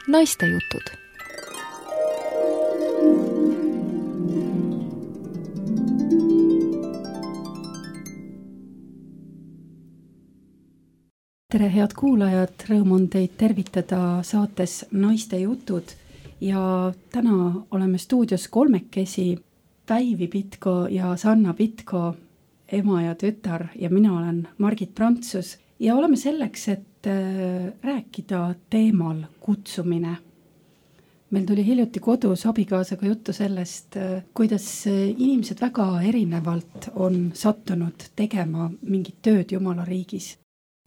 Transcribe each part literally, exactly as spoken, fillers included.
Naistejutud. Tere, head kuulajad, rõõm on teid tervitada saates Naistejutud ja täna oleme stuudios kolmekesi, Päivi Pitko ja Sanna Pitko, ema ja tütar, ja mina olen Margit Prantsus ja oleme selleks, et rääkida teemal kutsumine. Meil tuli hiljuti kodus abikaasaga juttu sellest, kuidas inimesed väga erinevalt on sattunud tegema mingit tööd Jumala riigis.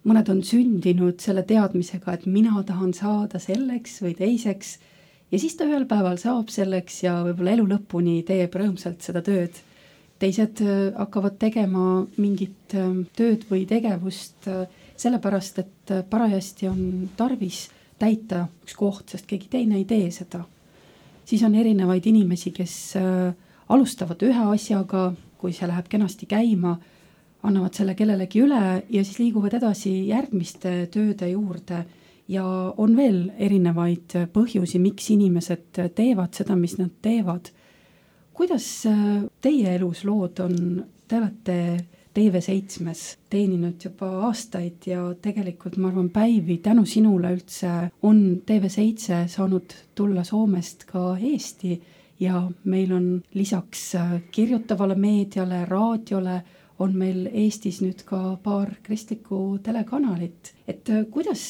Mõned on sündinud selle teadmisega, et mina tahan saada selleks või teiseks ja siis ta ühel päeval saab selleks ja võib-olla elu lõpuni teeb rõõmsalt seda tööd. Teised hakkavad tegema mingit tööd või tegevust sellepärast, et parajasti on tarvis täita üks koht, sest keegi teine ei tee seda. Siis on erinevaid inimesi, kes alustavad ühe asjaga, kui see läheb kenasti käima, annavad selle kellelegi üle ja siis liiguvad edasi järgmiste tööde juurde ja on veel erinevaid põhjusi, miks inimesed teevad seda, mis nad teevad. Kuidas teie elus lood on? Te olete T V seitsmes teeninud juba aastaid ja tegelikult ma arvan, Päivi, tänu sinule üldse on T V seitse saanud tulla Soomest ka Eesti ja meil on lisaks kirjutavale meediale, raadiole on meil Eestis nüüd ka paar kristlikku telekanalit. Et kuidas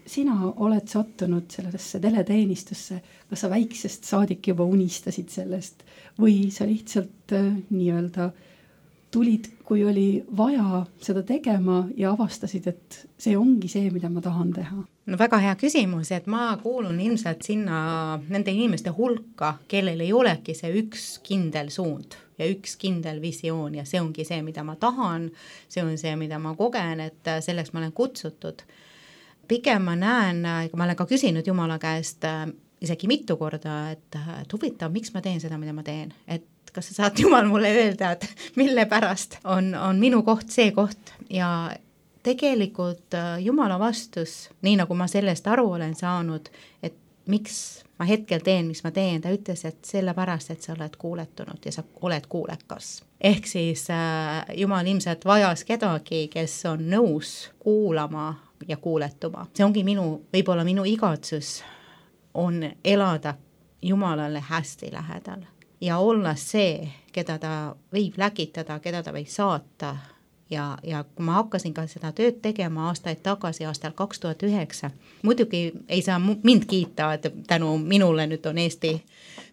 sina oled sattunud sellesse teleteenistusse? Kas sa väiksest saadik juba unistasid sellest või sa lihtsalt nii-öelda tulid, kui oli vaja seda tegema ja avastasid, et see ongi see, mida ma tahan teha? No väga hea küsimus, et ma kuulun ilmselt sinna nende inimeste hulka, kellel ei olegi see üks kindel suund ja üks kindel visioon ja see ongi see, mida ma tahan, see on see, mida ma kogen, et selleks ma olen kutsutud. Pigem ma näen, ma olen ka küsinud Jumala käest isegi mitu korda, et, et huvitav, miks ma teen seda, mida ma teen, et kas sa saad Jumal mulle öelda, et mille pärast on, on minu koht see koht ja tegelikult Jumala vastus, nii nagu ma sellest aru olen saanud, et miks ma hetkel teen, mis ma teen, ta ütles, et sellepärast, et sa oled kuuletunud ja sa oled kuulekas. Ehk siis äh, Jumal ilmselt vajas kedagi, kes on nõus kuulama ja kuuletuma. See ongi minu, võib-olla minu igatsus on elada Jumalale hästi lähedal. Ja olla see, keda ta võib läkitada, keda ta võib saata. Ja, ja kui ma hakkasin ka seda tööd tegema aastaid tagasi, aastal kaks tuhat üheksa, muidugi ei saa mind kiita, et tänu minule nüüd on Eesti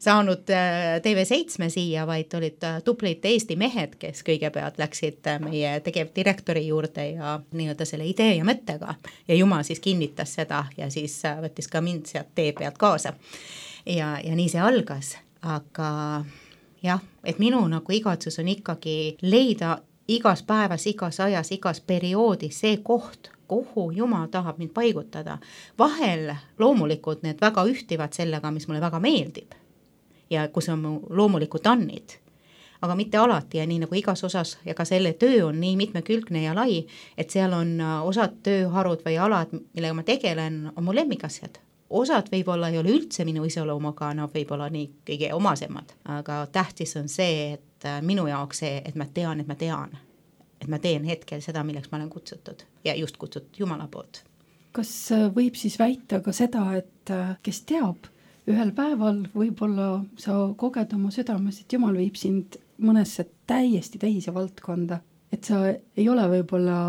saanud T V seitsme siia, vaid olid tublid Eesti mehed, kes kõigepealt läksid meie tegevdirektori juurde ja nii-öelda selle idee ja mõttega. Ja Jumal siis kinnitas seda ja siis võttis ka mind sealt tee pealt kaasa. Ja, ja nii see algas. Aga jah, et minu nagu igatsus on ikkagi leida igas päevas, igas ajas, igas perioodis see koht, kuhu Jumal tahab mind paigutada. Vahel loomulikult need väga ühtivad sellega, mis mulle väga meeldib ja kus on mu loomulikud annid. Aga mitte alati ja nii nagu igas osas ja ka selle töö on nii mitmekülgne ja lai, et seal on osad tööharud või alad, millega ma tegelen, on mu lemmikasjad. Osad võib-olla ei ole üldse minu iseloomuga, nad võib-olla nii kõige omasemad, aga tähtis on see, et minu jaoks see, et ma tean, et ma tean, et ma teen hetkel seda, milleks ma olen kutsutud ja just kutsutud Jumala poolt. Kas võib siis väita ka seda, et kes teab, ühel päeval võib-olla sa koged oma südames, et Jumal viib sind mõnesse täiesti teise valdkonda, et sa ei ole võib-olla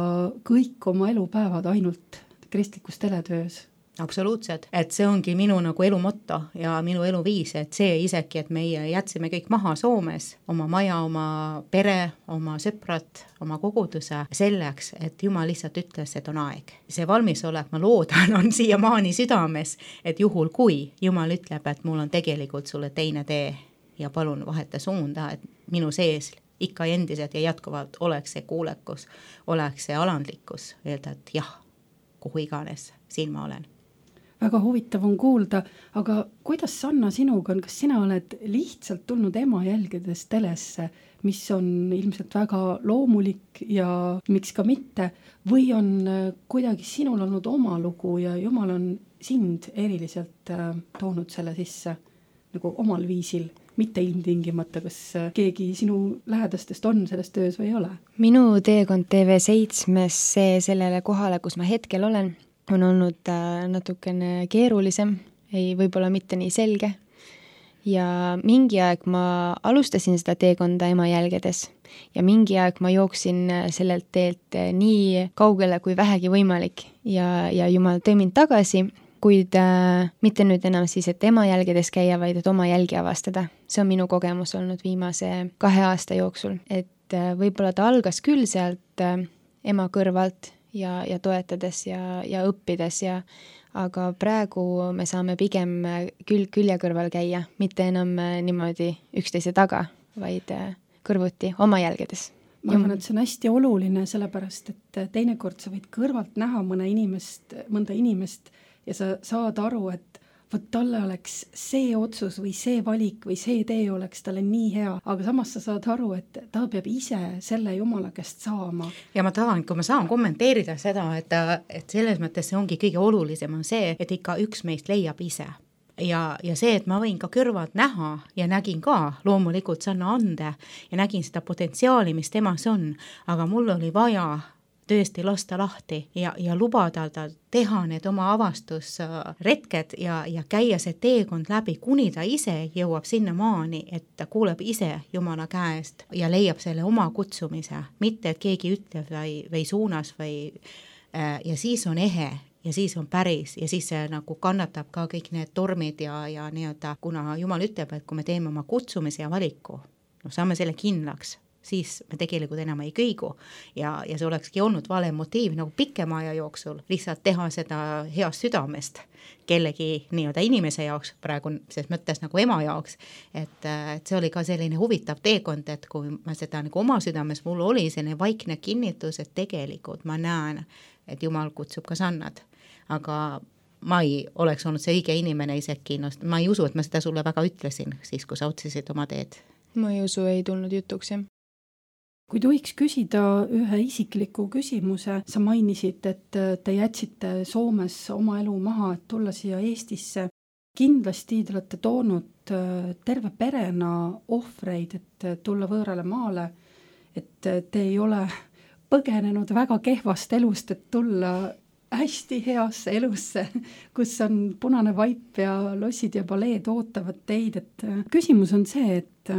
kõik oma elupäevad ainult kristlikus teletöös? Absoluutselt, et see ongi minu nagu elu motto ja minu elu viis, et see isegi, et meie jätsime kõik maha Soomes, oma maja, oma pere, oma sõprad, oma koguduse selleks, et Jumal lihtsalt ütles, et on aeg. See valmisolek, ma loodan, on siiamaani südames, et juhul kui Jumal ütleb, et mul on tegelikult sulle teine tee ja palun vaheta suunda, et minu sees ikka endiselt ja jätkuvalt oleks see kuulekus, oleks see alandlikkus, öelda, et jah, kuhu iganes siin ma olen. väga huvitav on kuulda, aga kuidas Sanna sinuga on, kas sina oled lihtsalt tulnud ema jälgedes telesse, mis on ilmselt väga loomulik ja miks ka mitte, või on kuidagi sinul olnud oma lugu ja Jumal on sind eriliselt äh, toonud selle sisse nagu omal viisil, mitte ilmtingimata, kas keegi sinu lähedastest on selles töös või ei ole? Minu teekond T V seitsmes see sellele kohale, kus ma hetkel olen, on olnud äh, natukene keerulisem, ei võib-olla mitte nii selge. Ja mingi aeg ma alustasin seda teekonda ema jälgedes ja mingi aeg ma jooksin sellelt teelt nii kaugele kui vähegi võimalik ja, ja Jumal tõi mind tagasi, kuid äh, mitte nüüd enam siis, et ema jälgedes käia, vaid et oma jälgi avastada. See on minu kogemus olnud viimase kahe aasta jooksul, et äh, võib-olla ta algas küll sealt äh, ema kõrvalt ja, ja toetades ja, ja õppides ja aga praegu me saame pigem külg külje kõrval käia, mitte enam niimoodi üksteise taga, vaid kõrvuti oma jälgedes. Ma arvan, et see on hästi oluline, sellepärast, et teinekord sa võid kõrvalt näha mõne inimest, mõnda inimest ja sa saad aru, et võt talle oleks see otsus või see valik või see tee oleks talle nii hea, aga samas sa saad aru, et ta peab ise selle Jumala käest saama. Ja ma tahan, kui ma saan kommenteerida seda, et, et selles mõttes see ongi kõige olulisem on see, et ikka üks meist leiab ise. Ja, ja see, et ma võin ka kõrvad näha ja nägin ka loomulikult Sanna ande ja nägin seda potentsiaali, mis temas on, aga mul oli vaja tõesti lasta lahti ja, ja lubada ta teha need oma avastusretked ja, ja käia see teekond läbi, kuni ta ise jõuab sinna maani, et ta kuuleb ise Jumala käest ja leiab selle oma kutsumise, mitte et keegi ütleb või, või suunas või äh, ja siis on ehe ja siis on päris ja siis see nagu kannatab ka kõik need tormid ja, ja nii-öelda, kuna Jumal ütleb, et kui me teeme oma kutsumise ja valiku, no saame selle kindlaks, siis me tegelikult enam ei kõigu ja, ja see olekski olnud vale motiiv nagu pikema aja jooksul lihtsalt teha seda heast südamest kellegi nii-öelda inimese jaoks, praegu ses mõttes nagu ema jaoks, et, et see oli ka selline huvitav teekond, et kui ma seda nagu oma südames, mul oli selline vaikne kinnitus, et tegelikult ma näen, et Jumal kutsub ka Sannad, aga ma ei oleks olnud see õige inimene isegi, no, ma ei usu, et ma seda sulle väga ütlesin siis, kui sa otsisid oma teed. Ma ei usu, ei tulnud jutuks, jah. Kui tohiks küsida ühe isikliku küsimuse, sa mainisid, et te jätsite Soomes oma elu maha, et tulla siia Eestisse. Kindlasti te olete toonud terve perena ohvreid, et tulla võõrale maale, et te ei ole põgenenud väga kehvast elust, et tulla hästi heasse elusse, kus on punane vaip ja lossid ja baleed ootavad teid. Et küsimus on see, et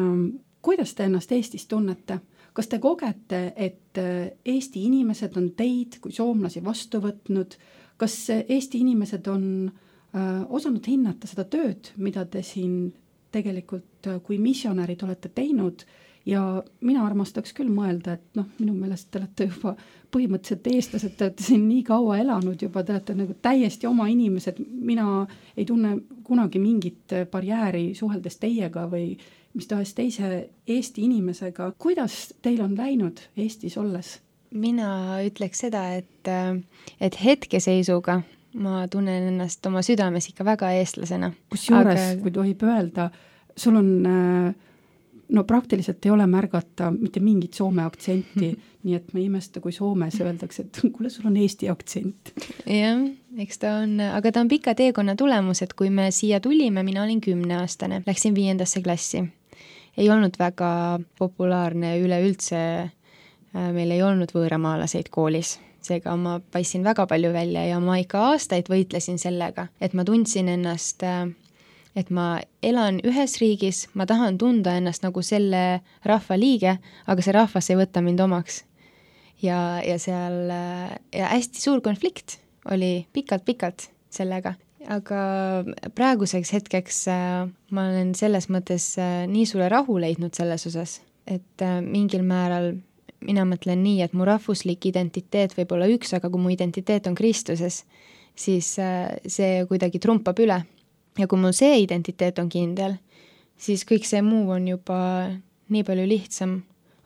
kuidas te ennast Eestis tunnete? Kas te kogete, et Eesti inimesed on teid kui soomlasi vastu võtnud? Kas Eesti inimesed on äh, osanud hinnata seda tööd, mida te siin tegelikult kui missionärid olete teinud? Ja mina armastaks küll mõelda, et noh, minu meelest te olete juba põhimõtteliselt eestlased, te olete siin nii kaua elanud juba, te olete nagu täiesti oma inimesed. Mina ei tunne kunagi mingit barjääri suheldes teiega või mis tahes teise Eesti inimesega. Kuidas teil on läinud Eestis olles? Mina ütleks seda, et, et hetkeseisuga ma tunnen ennast oma südames ikka väga eestlasena. Kusjuures, aga... kui tohib öelda, sul on, no praktiliselt ei ole märgata mitte mingit soome aktsenti, nii et ma ei imesta, kui Soomes öeldakse, et kuule, sul on Eesti aktsent. Jah, eks ta on, aga ta on pika teekonna tulemus, et kui me siia tulime, mina olin kümneaastane, läksin viiendasse klassi. Ei olnud väga populaarne üleüldse, meil ei olnud võõramaalaseid koolis, seega ma paissin väga palju välja ja ma ikka aastaid võitlesin sellega, et ma tundsin ennast, et ma elan ühes riigis, ma tahan tunda ennast nagu selle rahva liige, aga see rahvas ei võta mind omaks. Ja, ja seal ja hästi suur konflikt oli pikalt-pikalt sellega. Aga praeguseks hetkeks ma olen selles mõttes nii suure rahu leidnud selles osas, et mingil määral mina mõtlen nii, et mu rahvuslik identiteet võib olla üks, aga kui mu identiteet on Kristuses, siis see kuidagi trumpab üle. Ja kui mul see identiteet on kindel, siis kõik see muu on juba nii palju lihtsam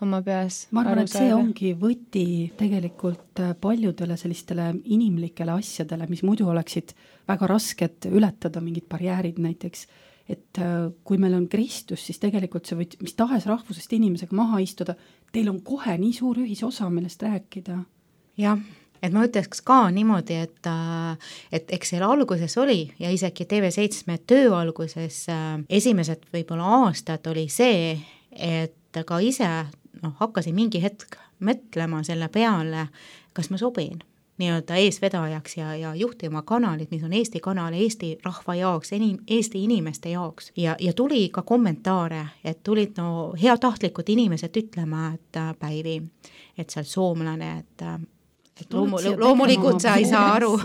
oma peas ma arvan, aru et see saada. ongi võti tegelikult paljudele sellistele inimlikele asjadele, mis muidu oleksid väga rasked ületada, mingid barjäärid näiteks, et kui meil on Kristus, siis tegelikult see võid mis tahes rahvusest inimesega maha istuda, teil on kohe nii suur ühisosa, millest rääkida. Jah, et ma ütleks ka niimoodi, et, et eks seal alguses oli ja isegi T V seitsme töö alguses esimesed võib-olla aastad oli see, et ka ise no, hakkasin mingi hetk mõtlema selle peale, kas ma sobin nii-öelda eesvedajaks ja, ja juhtima kanalit, mis on Eesti kanal Eesti rahva jaoks, Eesti inimeste jaoks. Ja, ja tuli ka kommentaare, et tulid no heatahtlikud inimesed ütlema, et Päivi, et sa oled soomlane, et et loomu, loomulikult sa ei saa aru,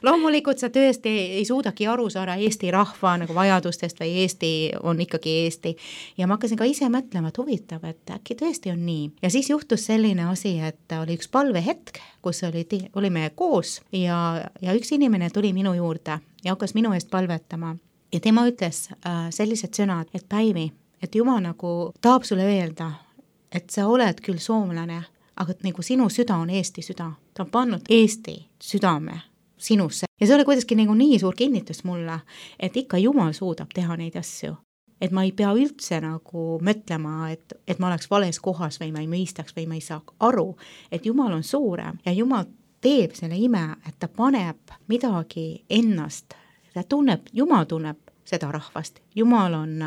loomulikult sa tõesti ei, ei suudagi aru saada Eesti rahva nagu vajadustest või Eesti on ikkagi Eesti. Ja ma hakkasin ka ise mõtlema, et huvitav, et äkki tõesti on nii. Ja siis juhtus selline asi, et oli üks palvehetk, kus oli, olime koos ja, ja üks inimene tuli minu juurde ja hakkas minu eest palvetama. Ja tema ütles äh, sellised sõnad, et Päivi, et Jumal nagu tahab sulle öelda, et sa oled küll soomlane, aga nagu sinu süda on Eesti süda. Ta on pannud Eesti südame sinusse. Ja see oli kuidagi nagu nii suur kinnitus mulle, et ikka Jumal suudab teha neid asju. Et ma ei pea üldse nagu mõtlema, et, et ma oleks vales kohas või ma ei mõistaks või ma ei saa aru, et Jumal on suurem ja Jumal teeb selle ime, et ta paneb midagi ennast. Ta tunneb, Jumal tunneb seda rahvast. Jumal on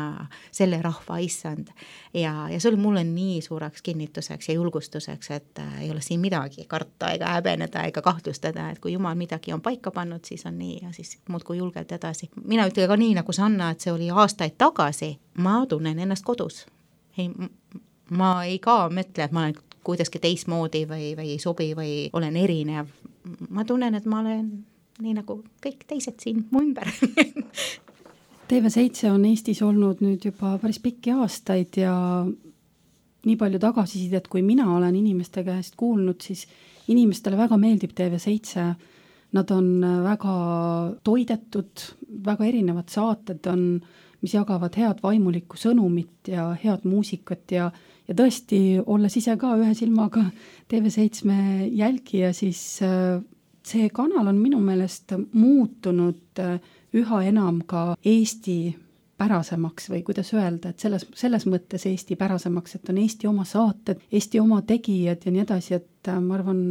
selle rahva issand ja, ja see oli mulle nii suureks kinnituseks ja julgustuseks, et ei ole siin midagi karta ega häbeneda ega kahtlustada, et kui Jumal midagi on paika pannud, siis on nii ja siis muudkui julgelt edasi. Mina ütlen ka nii nagu Sanna, et see oli aastaid tagasi, ma tunnen ennast kodus. Ei, ma ei ka mõtle, et ma olen kuidagi teismoodi või, või ei sobi või olen erinev. Ma tunnen, et ma olen nii nagu kõik teised siin mu ümber. T V seitse on Eestis olnud nüüd juba päris pikki aastaid ja nii palju tagasisidet, kui mina olen inimeste käest kuulnud, siis inimestele väga meeldib T V seitse. Nad on väga toidetud, väga erinevad saated on, mis jagavad head vaimulikku sõnumit ja head muusikat ja, ja tõesti, olles ise ka ühe silmaga T V seitsme jälgija, siis see kanal on minu meelest muutunud üha enam ka Eesti pärasemaks või kuidas öelda, et selles, selles mõttes Eesti pärasemaks, et on Eesti oma saated, Eesti oma tegijad ja nii edasi, et ma arvan,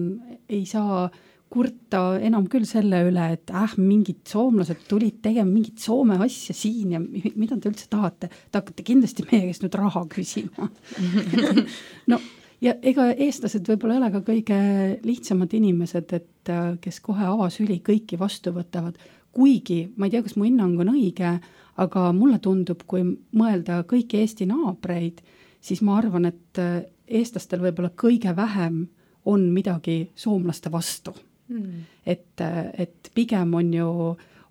ei saa kurta enam küll selle üle, et äh, mingid soomlased tulid tegema mingit Soome asja siin ja mida te üldse tahate? Te hakkate kindlasti meie käest nüüd raha küsima. No, ja ega eestlased võib-olla ei ole ka kõige lihtsamad inimesed, et kes kohe avasüli kõiki vastu võtavad. Kuigi, ma ei tea, kas mu hinnang on õige, aga mulle tundub, kui mõelda kõiki Eesti naabreid, siis ma arvan, et eestlastel võib-olla kõige vähem on midagi soomlaste vastu. Mm. Et, et pigem on ju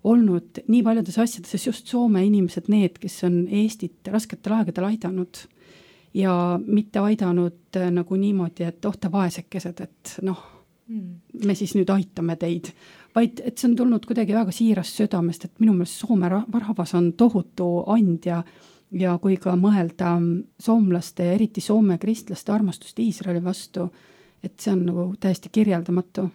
olnud nii paljudes asjades, sest just Soome inimesed need, kes on Eestit rasketel aegadel aidanud ja mitte aidanud nagu niimoodi, et oh te vaesekesed, et noh, mm. me siis nüüd aitame teid, vaid et see on tulnud kuidagi väga siirast südamest, et minu meelest Soome rahvas on tohutu andja ja kui ka mõelda soomlaste, eriti Soome kristlaste armastust Iisraeli vastu, et see on nagu täiesti kirjeldamatu.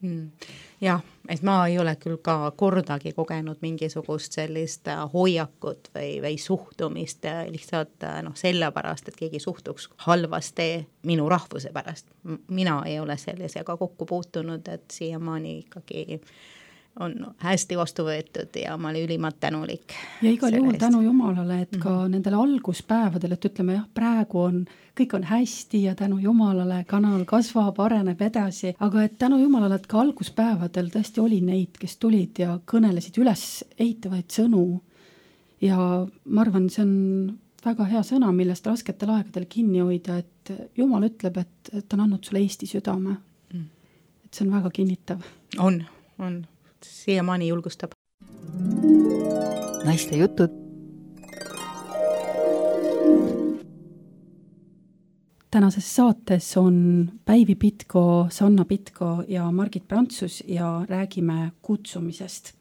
Mm. Jah, et ma ei ole küll ka kordagi kogenud mingisugust sellist hoiakut või, või suhtumist lihtsalt noh, sellepärast, et keegi suhtuks halvasti minu rahvuse pärast. Mina ei ole sellisega kokku puutunud, et siiamaani ikkagi on hästi vastu võetud ja ma olin ülimalt tänulik. Ja igal juhul tänu Jumalale, et ka mm-hmm. nendel alguspäevadel, et ütleme jah, praegu on, kõik on hästi ja tänu Jumalale kanal kasvab, areneb edasi, aga et tänu Jumalale, et ka alguspäevadel tõesti oli neid, kes tulid ja kõnelesid üles eitavaid sõnu ja ma arvan, see on väga hea sõna, millest rasketel aegadel kinni hoida, et Jumal ütleb, et, et ta on andnud sulle Eesti südame. Mm. Et see on väga kinnitav. On, on. Siiamaani julgustab. Naiste jutud. Tänases saates on Päivi Pitko, Sanna Pitko ja Margit Prantsus ja räägime kutsumisest.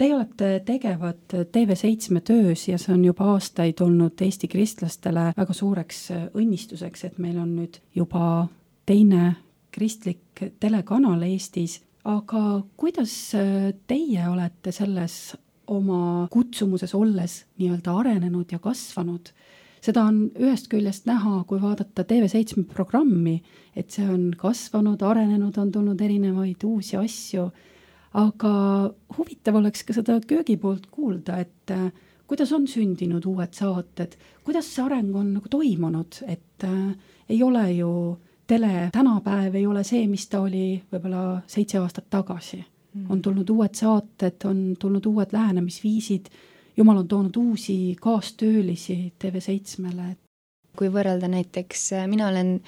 Teie olete tegevad T V seitsme töös ja see on juba aastaid olnud Eesti kristlastele väga suureks õnnistuseks, et meil on nüüd juba teine kristlik telekanal Eestis, aga kuidas teie olete selles oma kutsumuses olles nii-öelda arenenud ja kasvanud? Seda on ühest küljest näha, kui vaadata T V seitsme programmi, et see on kasvanud, arenenud, on tulnud erinevaid uusi asju, aga huvitav oleks ka seda köögi poolt kuulda, et kuidas on sündinud uued saated, kuidas see areng on nagu toimunud, et äh, ei ole ju tele tänapäev ei ole see, mis ta oli võib-olla seitse aastat tagasi. Mm. On tulnud uued saated, on tulnud uued lähenemisviisid, Jumal on toonud uusi kaastöölisi T V seitsmele. Kui võrrelda näiteks, mina olen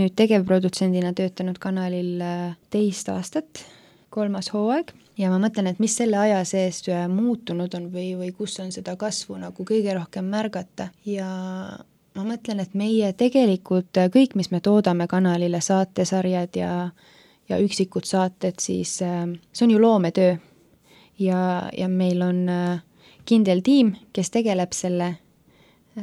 nüüd tegevprodutsendina töötanud kanalil teist aastat, kolmas hooaeg, ja ma mõtlen, et mis selle aja sees muutunud on või, või kus on seda kasvu nagu kõige rohkem märgata. Ja ma mõtlen, et meie tegelikult kõik, mis me toodame kanalile, saatesarjad ja, ja üksikud saated, siis see on ju loometöö. Ja, ja meil on kindel tiim, kes tegeleb selle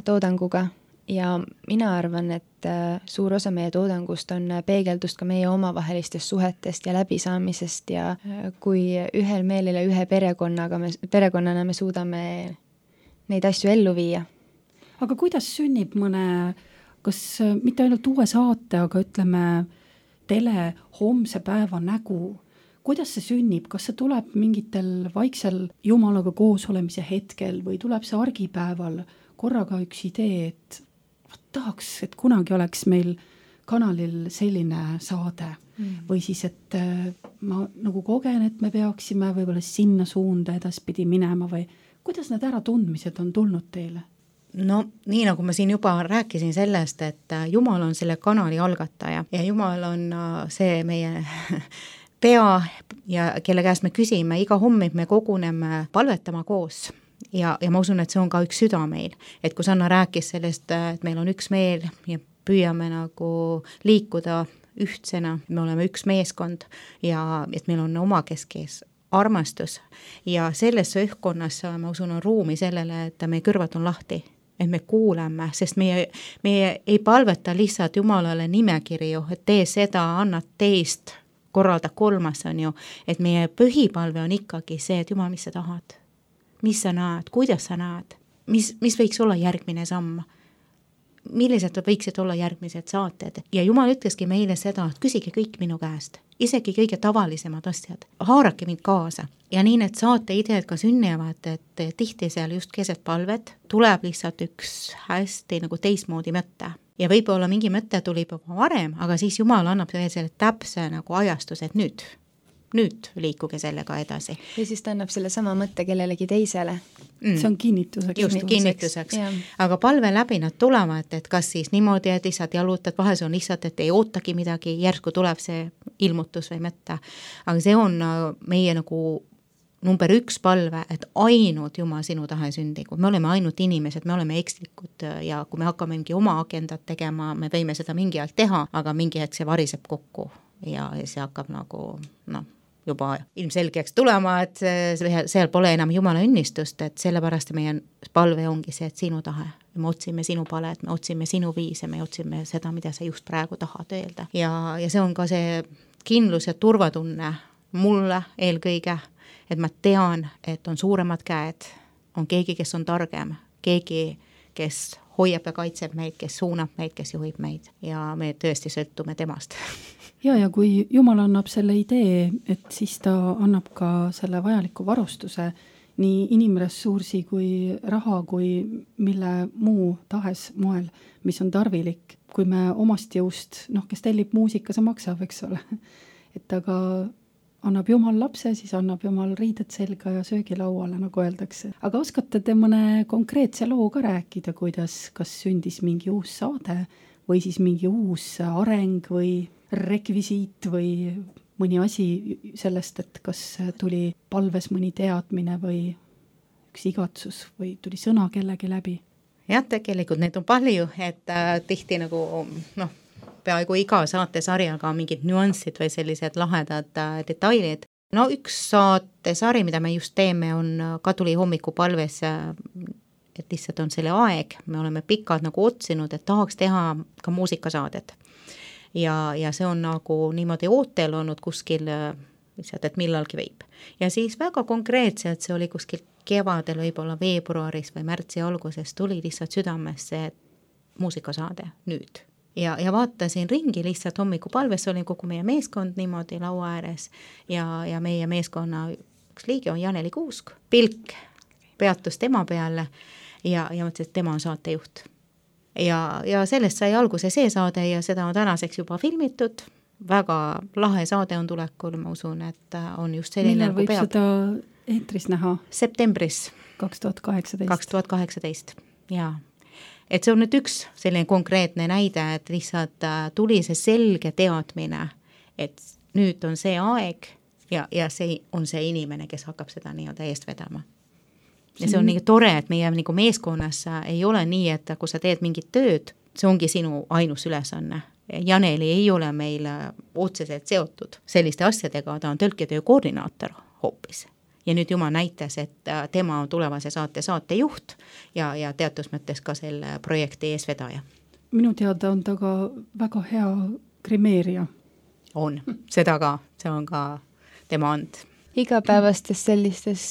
toodanguga ja mina arvan, et suur osa meie toodangust on peegeldust ka meie omavahelistest suhetest ja läbisaamisest ja kui ühel meelel ja ühe perekonnaga me, perekonnana me suudame neid asju ellu viia. Aga kuidas sünnib mõne, kas mitte ainult uue saate, aga ütleme tele homse päeva nägu, kuidas see sünnib, kas see tuleb mingitel vaiksel Jumalaga koos olemise hetkel või tuleb see argipäeval korraga üks idee, et võt, tahaks, et kunagi oleks meil kanalil selline saade mm. või siis, et ma nagu kogen, et me peaksime võib-olla sinna suunda edaspidi minema või kuidas need äratundmised on tulnud teile? No nii nagu ma siin juba rääkisin sellest, et Jumal on selle kanali algataja ja Jumal on see meie pea ja kelle käest me küsime, iga hommik me koguneme palvetama koos ja, ja ma usun, et see on ka üks süda meil, et kui Sanna rääkis sellest, et meil on üks meel ja püüame nagu liikuda ühtsena, me oleme üks meeskond ja et meil on omakeskes armastus ja selles õhkkonnas ma usun on ruumi sellele, et meie kõrvad on lahti, et me kuuleme, sest meie, meie ei palveta lihtsalt Jumalale nimekirju, et tee seda, annad teist korralda kolmas on ju, et meie põhipalve on ikkagi see, et Jumal, mis sa tahad, mis sa näed, kuidas sa näed, mis, mis võiks olla järgmine samm, millised võiksid olla järgmised saated ja Jumal ütleski meile seda, et küsige kõik minu käest, isegi kõige tavalisemad asjad, haarake mind kaasa ja nii need saate ideed ka sünnivad, et tihti seal just keset palvet tuleb lihtsalt üks hästi nagu teistmoodi mõte. Ja võib-olla mingi mõte tuli juba varem, aga siis Jumal annab selle täpse nagu ajastuse, et nüüd, nüüd liikuge sellega edasi. Ja siis ta annab selle sama mõtte kellelegi teisele. Mm. See on kinnituseks. Just kinnituseks. Aga palve läbi nad tulevad, et kas siis niimoodi, et lihtsalt jalutad, vahel on lihtsalt, et ei ootagi midagi, järsku tuleb see ilmutus või mõte. Aga see on meie nagu number üks palve, et ainult Jumal sinu tahe sündigu. Me oleme ainult inimesed, me oleme ekslikud ja kui me hakkame mingi oma agendat tegema, me võime seda mingi aeg teha, aga mingi hetk see variseb kokku ja see hakkab nagu noh, juba ilmselgeks tulema, et seal pole enam Jumala õnnistust, et sellepärast meie palve ongi see, et sinu tahe. Me otsime sinu palet, me otsime sinu viise, me otsime seda, mida sa just praegu tahad öelda. Ja, ja see on ka see kindlus ja turvatunne mulle eelkõige, et ma tean, et on suuremad käed, on keegi, kes on targem, keegi, kes hoiab ja kaitseb meid, kes suunab meid, kes juhib meid ja me tõesti sõltume temast. Ja, ja kui Jumal annab selle idee, et siis ta annab ka selle vajaliku varustuse, nii inimressursi kui raha, kui mille muu tahes moel, mis on tarvilik. Kui me omast jõust, noh, kes tellib muusika, see maksab, eks ole. Et aga annab Jumal lapse, siis annab Jumal riided selga ja söögilauale, nagu öeldakse. Aga oskate te mõne konkreetse loo ka rääkida, kuidas kas sündis mingi uus saade või siis mingi uus areng või rekvisiit või mõni asi sellest, et kas tuli palves mõni teadmine või üks igatsus või tuli sõna kellegi läbi? Jah, tegelikult neid on palju, et äh, tihti nagu noh, peaaegu iga saatesarjaga on mingid nüanssid või sellised lahedad äh, detailid. no üks saatesari, mida me just teeme, on Kaduli hommikupalves, et lihtsalt on selle aeg, me oleme pikalt nagu otsinud, et tahaks teha ka muusikasaadet. Ja, ja see on nagu niimoodi ootel olnud kuskil lihtsalt, et millalgi võib. Ja siis väga konkreetselt, see oli kuskil kevadel, võib-olla veebruaris või märtsi alguses tuli lihtsalt südamesse muusikasaade nüüd. Ja, ja vaatasin ringi lihtsalt hommikupalves, oli kogu meie meeskond niimoodi laua ääres ja, ja meie meeskonna üks liige on Janeli Kuusk. Pilk peatus tema peale ja, ja mõtlesin, et tema on saatejuht. Ja, ja sellest sai alguse see saade ja seda on tänaseks juba filmitud. Väga lahe saade on tulekul, ma usun, et on just selline. Millal võib peab. Seda eetris näha? Septembris. kaks tuhat kaheksateist. kaks tuhat kaheksateist, jaa. Et see on nüüd üks selline konkreetne näide, et lihtsalt tuli see selge teadmine, et nüüd on see aeg ja, ja see on see inimene, kes hakkab seda nii-öelda eest vedama. Ja see on nii tore, et meie nagu meeskonnas ei ole nii, et kui sa teed mingit tööd, see ongi sinu ainus ülesanne. Janeli ei ole meil otseselt seotud selliste asjadega, ta on tõlketöö koordinaator hoopis. Ja nüüd Jumal näitas, et tema on tulevase saate saatejuht ja, ja teatud mõttes ka selle projekti eesvedaja. Minu teada on ta ka väga hea grimeerija. On, seda ka, see on ka tema and. Igapäevastes sellistes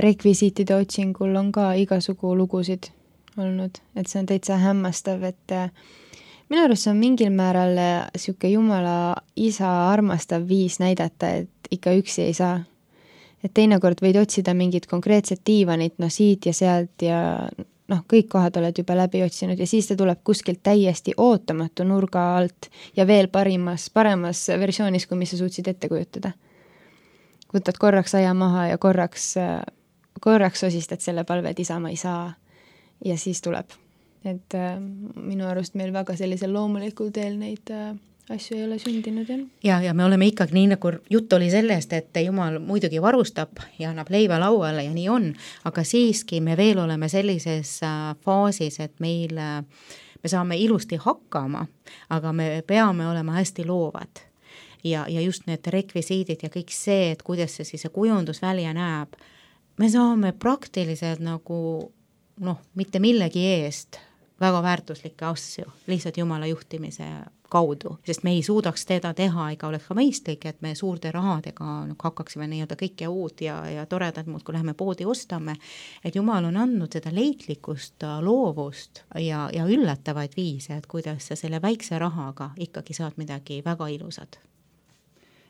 rekvisiitide otsingul on ka igasugu lugusid olnud, et see on täitsa hämmastav, et minu arust on mingil määral siuke Jumala isa armastav viis näidata, et ikka üksi ei saa. Et teinekord võid otsida mingit konkreetset diivanit, no siit ja sealt ja noh, kõik kohad oled juba läbi otsinud ja siis ta tuleb kuskilt täiesti ootamatu nurga alt ja veel parimas, paremas versioonis, kui mis sa suutsid ette kujutada. Võtad korraks aja maha ja korraks, korraks osistad selle palve, et isa ma ei saa ja siis tuleb. Et äh, minu arust meil väga sellisel loomulikul teel neid äh, asju ei ole sündinud. Ja. ja, ja me oleme ikkagi nii, nagu jutt oli sellest, et Jumal muidugi varustab ja annab leiva lauale ja nii on, aga siiski me veel oleme sellises äh, faasis, et meil, äh, me saame ilusti hakkama, aga me peame olema hästi loovad. Ja, ja just need rekvisiidid ja kõik see, et kuidas see siis see kujundus välja näeb, me saame praktiliselt nagu noh, mitte millegi eest väga väärtuslikke asju, lihtsalt Jumala juhtimise kaudu, sest me ei suudaks teda teha ega oleks ka mõistlik, et me suurte rahadega no, hakkaksime nii-öelda kõike uut ja, ja toredad muud, kui läheme poodi ostame, et Jumal on andnud seda leitlikkust, loovust ja, ja üllatavaid viise, et kuidas sa selle väikse rahaga ikkagi saad midagi väga ilusad.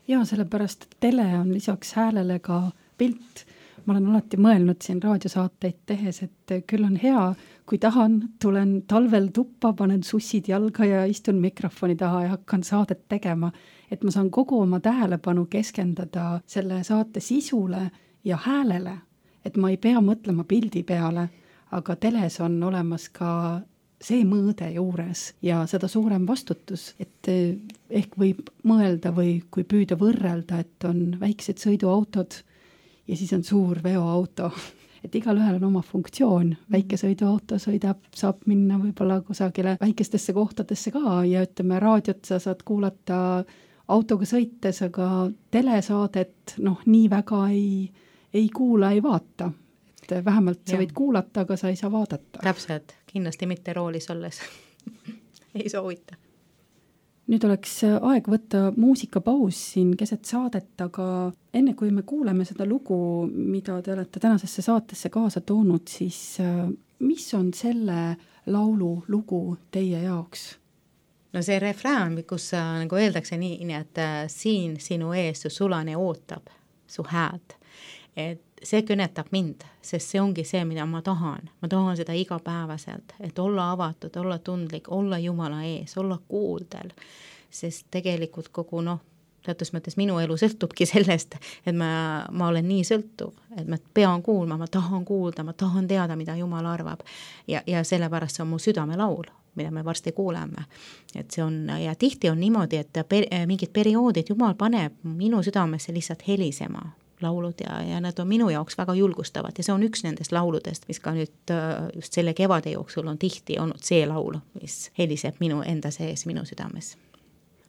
Ja sellepärast tele on lisaks häälele ka pilt. Ma olen alati mõelnud siin raadiosaateid tehes, et küll on hea, kui tahan, tulen talvel tuppa, panen sussid jalga ja istun mikrofoni taha ja hakkan saadet tegema, et ma saan kogu oma tähelepanu keskendada selle saate sisule ja häälele, et ma ei pea mõtlema pildi peale, aga teles on olemas ka see mõõde juures ja seda suurem vastutus, et ehk võib mõelda või kui püüda võrrelda, et on väiksed sõiduautod ja siis on suur veoauto, et igal ühel on oma funktsioon, väike sõiduauto sõidab, saab minna võib-olla kusagile väikestesse kohtadesse ka ja ütleme, raadiot sa saad kuulata autoga sõites, aga telesaadet noh, nii väga ei, ei kuula, ei vaata. Et vähemalt sa ja. Võid kuulata, aga sa ei saa vaadata. Täpselt, kindlasti mitte roolis olles ei soovita. Nüüd oleks aeg võtta muusikapaus siin keset saadet, aga enne kui me kuuleme seda lugu, mida te olete tänasesse saatesse kaasa toonud, siis mis on selle laulu lugu teie jaoks? No see refrään, kus nagu öeldakse nii, et siin sinu ees su sulane ootab su hääd, et see kõnetab mind, sest see ongi see, mida ma tahan. Ma tahan seda igapäevaselt, et olla avatud, olla tundlik, olla Jumala ees, olla kuuldel, sest tegelikult kogu noh, teatud mõttes minu elu sõltubki sellest, et ma, ma olen nii sõltuv, et ma pean kuulma, ma tahan kuulda, ma tahan teada, mida Jumal arvab ja, ja sellepärast see on mu südamelaul, mida me varsti kuuleme. Et see on, ja tihti on niimoodi, et per, mingid perioodid Jumal paneb minu südamesse lihtsalt helisema laulud ja, ja need on minu jaoks väga julgustavad ja see on üks nendest lauludest, mis ka nüüd just selle kevade jooksul on tihti olnud see laul, mis heliseb minu enda sees, minu südames.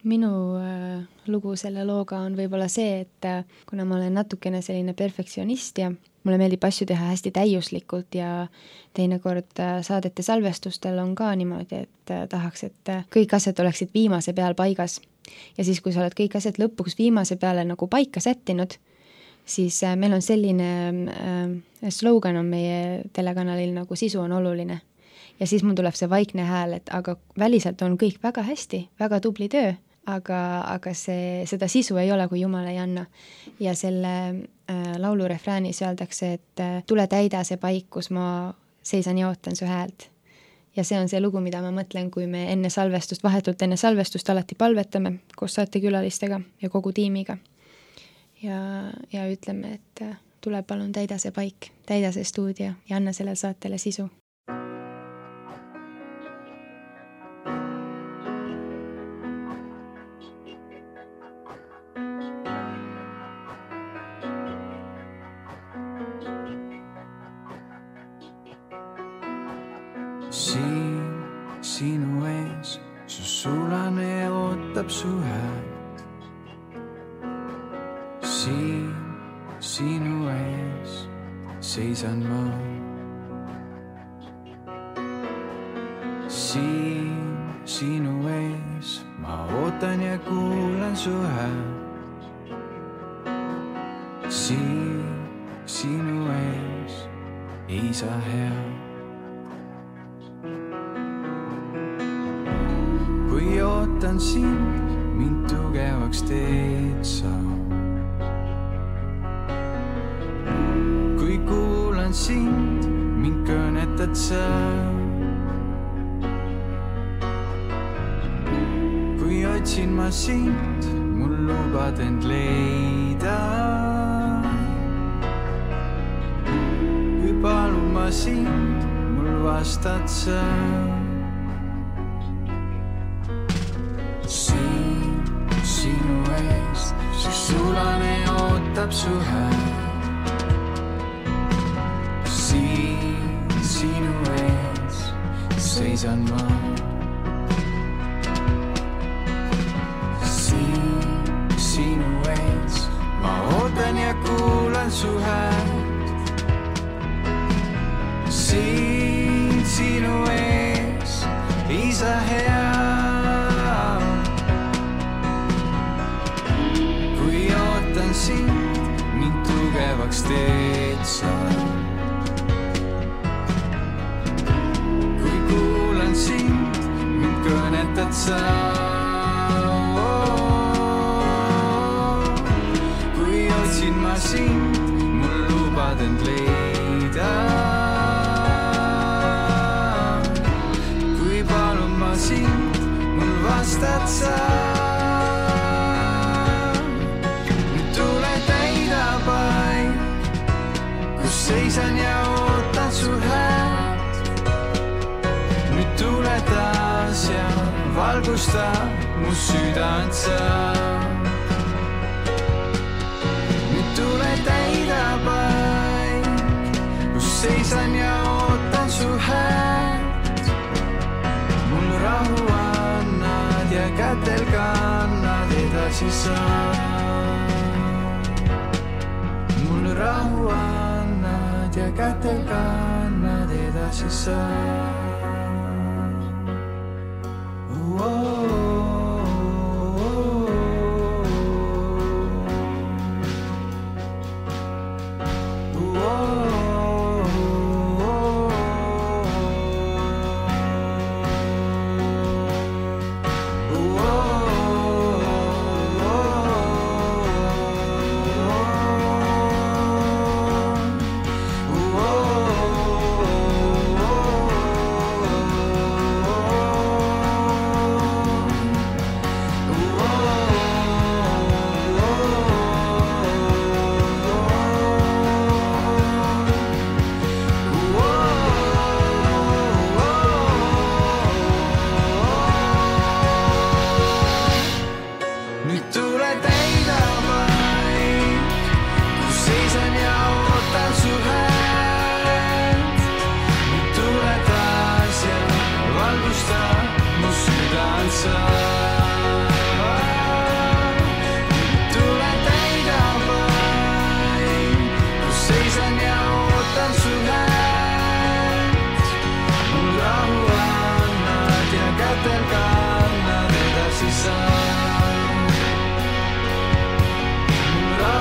minu äh, lugu selle looga on võib-olla see, et äh, kuna ma olen natukene selline perfektsionist ja mulle meeldib asju teha hästi täiuslikult ja teinekord äh, saadete salvestustel on ka niimoodi, et äh, tahaks, et äh, kõik asjad oleksid viimase peal paigas. Ja siis, kui sa oled kõik asjad lõpuks viimase peale nagu paika sättinud, siis äh, meil on selline äh, slogan on meie telekanalil nagu sisu on oluline. Ja siis mul tuleb see vaikne hääl, et aga väliselt on kõik väga hästi, väga tubli töö, aga, aga see, seda sisu ei ole, kui Jumal ei anna. Ja selle äh, laulu refräänis öeldakse, et äh, tule täida see paik, kus ma seisan ja ootan su häält. Ja see on see lugu, mida ma mõtlen, kui me enne salvestust, vahetult enne salvestust alati palvetame koos saatekülalistega ja kogu tiimiga. Ja, ja ütleme, et äh, tule palun täida see paik, täida see stuudio ja anna sellele saatele sisu. Siin sinu ees, su sulane ootab su häält. Siin sinu ees seisan ma. Siin sinu ees ma ootan ja kuulan su häält. Siin sinu ees isa hea. Kui ootan sind, mind tugevaks teed sa. Kui kuulan sind, mind kõnetad sa. Kui otsin ma sind, mul lubad end leida. Kui palun ma sind, mul vastad sa. Siin sinu ees, su sulane ootab su häält. Siin sinu ees seisan ma. Siin sinu ees ma ootan ja kuulan su häält. Siin sinu ees isa hea. Sind, mind tugevaks teed sa. Kui kuulan sind, mind kõnetad sa. Kui otsin ma sind, mul lubad end leida. Kui palun ma sind, mul vastad sa. Seisan ja ootan su häält. Nüüd tule taas ja valgusta mu südant sa. Nüüd tule täida paik, kus seisan ja ootan su häält. Mul rahu annad ja kätel kannad edasi sa. Mul rahu annad ja kätel kannad edasi sa. Oh, oh,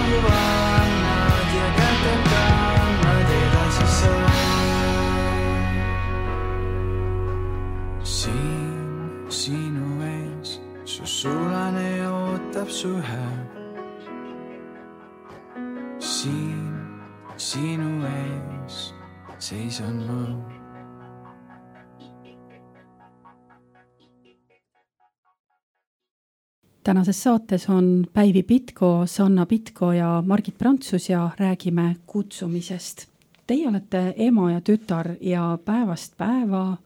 ju annad ja kätel kannad edasi sa. Siin sinu ees su sulane ootab su hääl. Siin sinu ees seisan ma. Tänases saates on Päivi Pitko, Sanna Pitko ja Margit Prantsus ja räägime kutsumisest. Teie olete ema ja tütar ja päevast päeva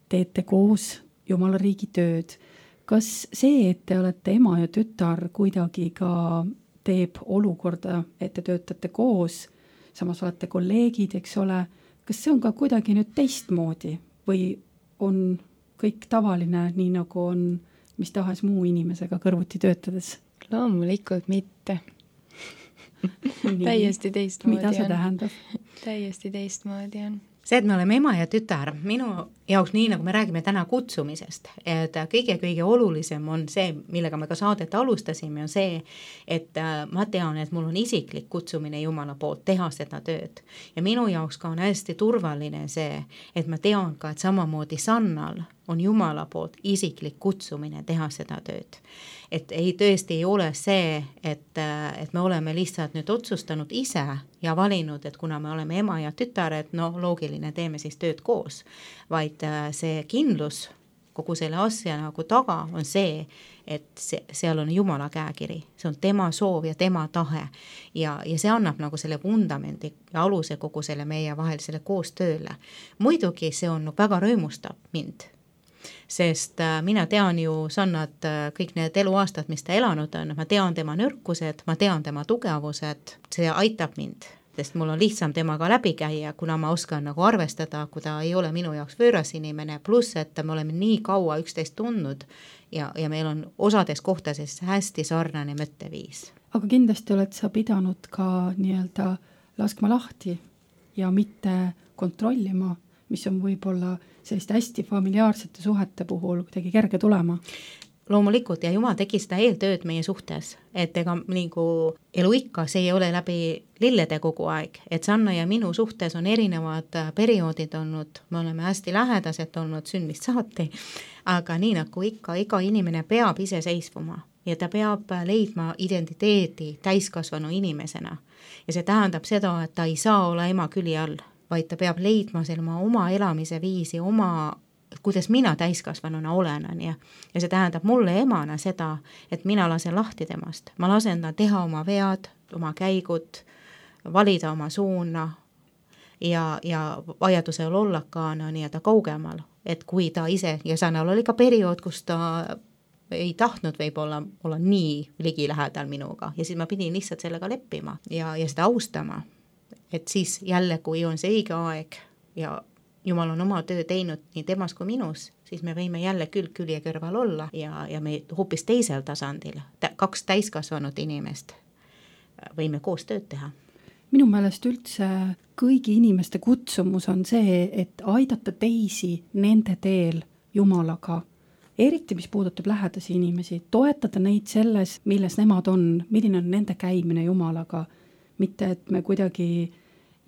teete koos Jumala riigi tööd. Kas see, et te olete ema ja tütar, kuidagi ka teeb olukorda, et te töötate koos, samas olete kolleegid, eks ole, kas see on ka kuidagi nüüd teistmoodi või on kõik tavaline, nii nagu on mis tahes muu inimesega kõrvuti töötades? Loomulikult mitte. Täiesti teistmoodi on. Mida see tähendab? Täiesti teistmoodi on. See, et me oleme ema ja tütar, minu jaoks nii, nagu me räägime täna kutsumisest, et kõige-kõige olulisem on see, millega me ka saadet alustasime, on see, et ma tean, et mul on isiklik kutsumine Jumala poolt teha seda tööd. Ja minu jaoks ka on hästi turvaline see, et ma tean ka, et samamoodi Sannal on Jumala poolt isiklik kutsumine teha seda tööd. Et ei tõesti ei ole see, et, et me oleme lihtsalt nüüd otsustanud ise ja valinud, et kuna me oleme ema ja tütar, et no loogiline, teeme siis tööd koos, vaid see kindlus kogu selle asja nagu taga on see, et see, seal on Jumala käekiri, see on tema soov ja tema tahe ja, ja see annab nagu selle vundamendi ja aluse kogu selle meie vahelisele koostööle. Muidugi see on väga rõõmustab mind, sest mina tean ju Sannat kõik need eluaastad, mis ta elanud on, ma tean tema nõrkused, ma tean tema tugevused, see aitab mind, sest mul on lihtsam temaga läbi käia, kuna ma oskan nagu arvestada, kui ta ei ole minu jaoks võõras inimene, pluss, et me oleme nii kaua üksteist tundnud ja, ja meil on osades kohtades hästi sarnane mõtteviis. Aga kindlasti oled sa pidanud ka nii-öelda laskma lahti ja mitte kontrollima, mis on võib-olla selliste hästi familiaarsete suhete puhul kuidagi kerge tulema. Loomulikult ja Jumal tegi seda eeltööd meie suhtes, et ega nagu eluikka see ei ole läbi lillede kogu aeg, et Sanna ja minu suhtes on erinevad perioodid olnud, me oleme hästi lähedased olnud sünnist saati, aga nii nagu ikka, iga inimene peab ise seisvuma ja ta peab leidma identiteedi täiskasvanu inimesena ja see tähendab seda, et ta ei saa olla ema küli all, vaid ta peab leidma selle oma elamise viisi, oma, kuidas mina täiskasvanuna olen, ja, ja see tähendab mulle emana seda, et mina lasen lahti temast, ma lasen ta teha oma vead, oma käigud, valida oma suuna ja, ja vajadusel olla ka no, nii-öelda kaugemal, et kui ta ise, ja Sannal oli ka periood, kus ta ei tahtnud võib-olla olla nii ligilähedal minuga ja siis ma pidin lihtsalt sellega leppima ja, ja seda austama. Et siis jälle, kui on see õige aeg ja Jumal on oma töö teinud nii temas kui minus, siis me võime jälle külg külje kõrval olla ja, ja me hoopis teisel tasandil, kaks täiskasvanud inimest, võime koos tööd teha. Minu meelest üldse kõigi inimeste kutsumus on see, et aidata teisi nende teel Jumalaga, eriti mis puudutab lähedasi inimesi, toetada neid selles, milles nemad on, milline on nende käimine Jumalaga, mitte et me kuidagi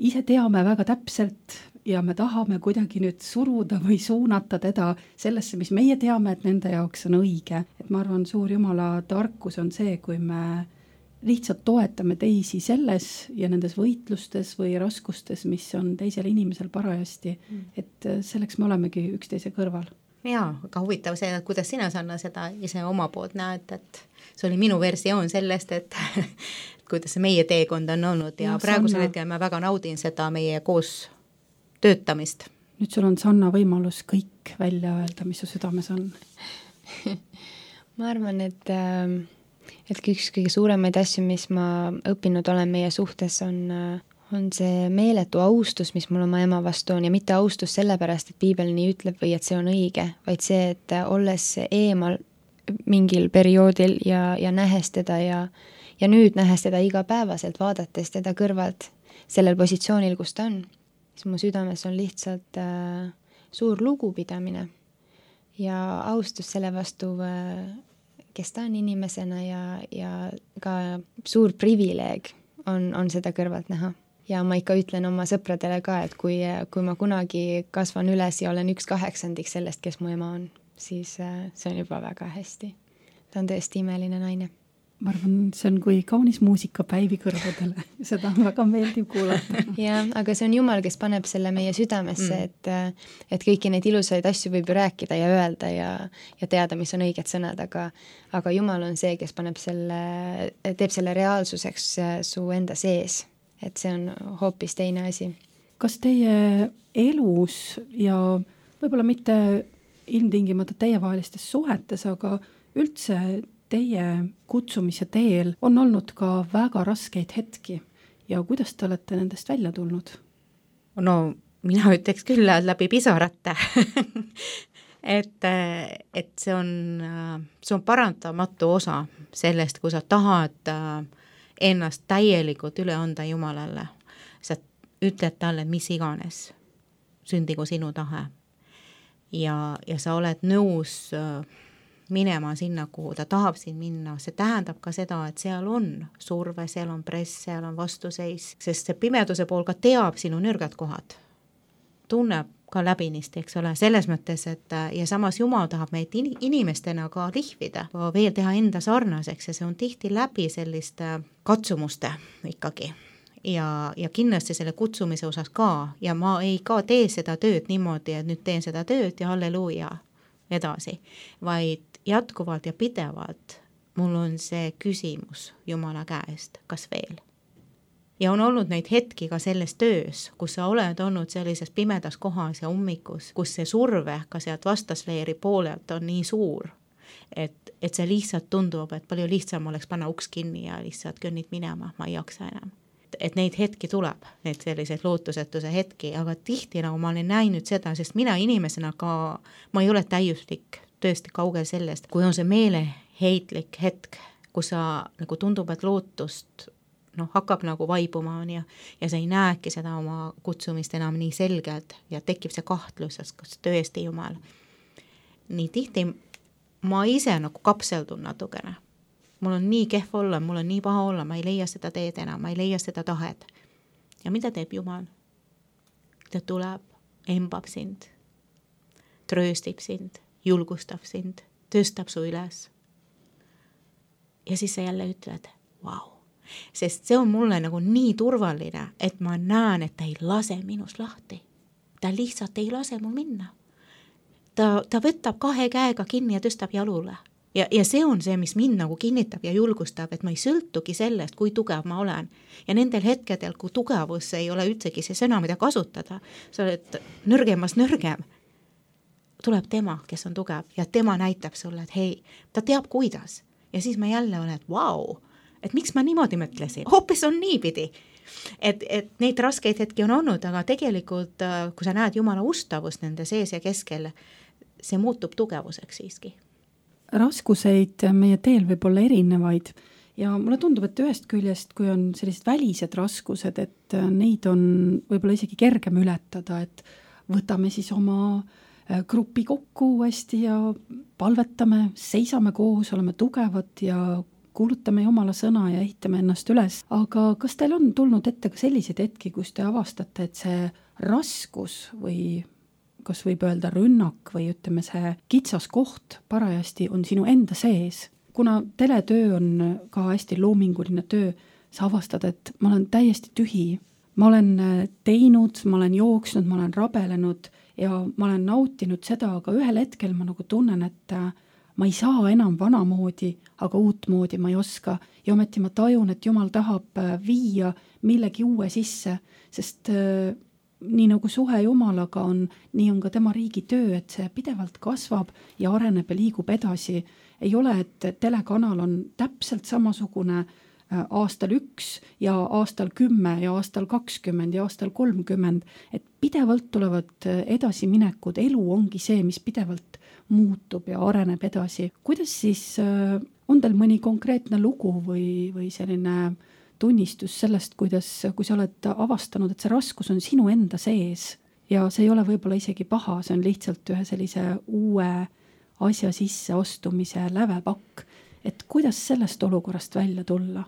ise teame väga täpselt ja me tahame kuidagi nüüd suruda või suunata teda sellesse, mis meie teame, et nende jaoks on õige. Et ma arvan, suur Jumala tarkus on see, kui me lihtsalt toetame teisi selles ja nendes võitlustes või raskustes, mis on teisel inimesel parajasti, et selleks me olemegi üksteise kõrval. Jaa, aga huvitav see, et kuidas sina, Sanna, seda ise oma poolt näed, et see oli minu versioon sellest, et kuidas see meie teekond on olnud ja, ja praegusel Sanna... hetkel ma väga naudin seda meie koos töötamist. Nüüd sul on, Sanna, võimalus kõik välja öelda, mis su südames on. ma arvan, et, et üks kõige suuremaid asju, mis ma õppinud olen meie suhtes, on, on see meeletu austus, mis mul oma ema vastu on ja mitte austus sellepärast, et piibel nii ütleb või et see on õige, vaid see, et olles eemal mingil perioodil ja, ja nähes teda ja, ja nüüd nähes teda igapäevaselt, vaadates teda kõrvalt sellel positsioonil, kus ta on, siis mu südames on lihtsalt äh, suur lugupidamine ja austus selle vastu äh, kes ta on inimesena ja, ja ka suur privileeg on, on seda kõrvalt näha. Ja ma ikka ütlen oma sõpradele ka, et kui, kui ma kunagi kasvan üles ja olen üks kaheksandik sellest, kes mu ema on, siis see on juba väga hästi. Ta on tõesti imeline naine. Ma arvan, see on kui kaunis muusika Päivi kõrvadele. Seda on väga meeldiv kuulata. Ja, aga see on Jumal, kes paneb selle meie südamesse, mm. et, et kõiki neid ilusaid asju võib ju rääkida ja öelda ja, ja teada, mis on õiged sõnad, aga, aga Jumal on see, kes paneb selle, teeb selle reaalsuseks su enda sees. Et see on hoopis teine asi. Kas teie elus ja võib-olla mitte ilmtingimata teievahelistes suhetes, aga üldse teie kutsumise teel on olnud ka väga raskeid hetki ja kuidas te olete nendest välja tulnud? No mina ütleks küll läbi pisarate. et, et see on, see on parantamatu osa sellest, kui sa tahad ennast täielikult üle anda Jumalale. Sa ütled talle, mis iganes, sündigu sinu tahe. Ja, ja sa oled nõus minema sinna, kuhu ta tahab siin minna. See tähendab ka seda, et seal on surve, seal on press, seal on vastuseis, sest see pimeduse pool ka teab sinu nõrgad kohad. Tunneb ka läbinisti, eks ole, selles mõttes, et ja samas Jumal tahab meid inimestena ka lihvida, veel teha enda sarnaseks ja see on tihti läbi selliste katsumuste ikkagi. Ja, ja kindlasti selle kutsumise osas ka ja ma ei ka tee seda tööd niimoodi, et nüüd teen seda tööd ja halleluuja edasi, vaid jätkuvalt ja pidevalt mul on see küsimus Jumala käest, kas veel? Ja on olnud neid hetki ka selles töös, kus sa oled olnud sellises pimedas kohas ja ummikus, kus see surve ka sealt vastasleeri poolelt on nii suur, et, et see lihtsalt tundub, et palju lihtsam oleks panna uks kinni ja lihtsalt kõnnid minema, ma ei jaksa enam. Et neid hetki tuleb, neid selliseid lootusetuse hetki, aga tihti nagu ma olen näinud seda, sest mina inimesena ka, ma ei ole täiuslik, tõesti kaugel sellest, kui on see meeleheitlik hetk, kus sa nagu tundub, et lootust noh, hakkab nagu vaibuma on ja, ja sa ei näeki seda oma kutsumist enam nii selgelt ja tekib see kahtlus, kas tõesti Jumal. Nii tihti ma ise nagu kapseldun natukene. Mul on nii kehv olla, mul on nii paha olla, ma ei leia seda teed enam, ma ei leia seda tahet. Ja mida teeb Jumal? Ta tuleb, embab sind, trööstib sind, julgustab sind, tõstab su üles. Ja siis sa jälle ütled, vau. Sest see on mulle nagu nii turvaline, et ma näen, et ta ei lase minust lahti. Ta lihtsalt ei lase mul minna. Ta, ta võtab kahe käega kinni ja tõstab jalule. Ja, ja see on see, mis mind nagu kinnitab ja julgustab, et ma ei sõltugi sellest, kui tugev ma olen. Ja nendel hetkedel, kui tugevus ei ole üldsegi see sõna, mida kasutada, sa oled nõrgemas nõrgem, tuleb tema, kes on tugev ja tema näitab sulle, et hei, ta teab kuidas. Ja siis ma jälle olen, et vau, wow, et miks ma niimoodi mõtlesin, hoopis on niipidi. Et, et neid raskeid hetki on olnud, aga tegelikult, kui sa näed Jumala ustavust nende sees ja keskel, see muutub tugevuseks siiski. Raskuseid meie teel võib olla erinevaid ja mulle tundub, et ühest küljest, kui on sellised välised raskused, et neid on võib-olla isegi kergem ületada, et võtame siis oma grupi kokku uuesti ja palvetame, seisame koos, oleme tugevad ja kuulutame Jumala sõna ja ehitame ennast üles. Aga kas teil on tulnud ette ka selliseid hetki, kus te avastate, et see raskus või kas võib öelda rünnak või ütleme see kitsas koht parajasti on sinu enda sees? Kuna teletöö on ka hästi loominguline töö, sa avastad, et ma olen täiesti tühi. Ma olen teinud, ma olen jooksnud, ma olen rabelenud ja ma olen nautinud seda, aga ühel hetkel ma nagu tunnen, et ma ei saa enam vanamoodi, aga uutmoodi ma ei oska ja ometi ma tajun, et Jumal tahab viia millegi uue sisse, sest äh, nii nagu suhe Jumalaga on, nii on ka tema riigi töö, et see pidevalt kasvab ja areneb ja liigub edasi. Ei ole, et telekanal on täpselt samasugune äh, aastal üks ja aastal kümme ja aastal kakskümmend ja aastal kolmkümmend, et pidevalt tulevad edasi minekud, elu ongi see, mis pidevalt muutub ja areneb edasi. Kuidas siis äh, on teil mõni konkreetne lugu või, või selline tunnistus sellest, kuidas, kui sa oled avastanud, et see raskus on sinu enda sees ja see ei ole võib-olla isegi paha, see on lihtsalt ühe sellise uue asja sisse astumise lävepakk, et kuidas sellest olukorrast välja tulla?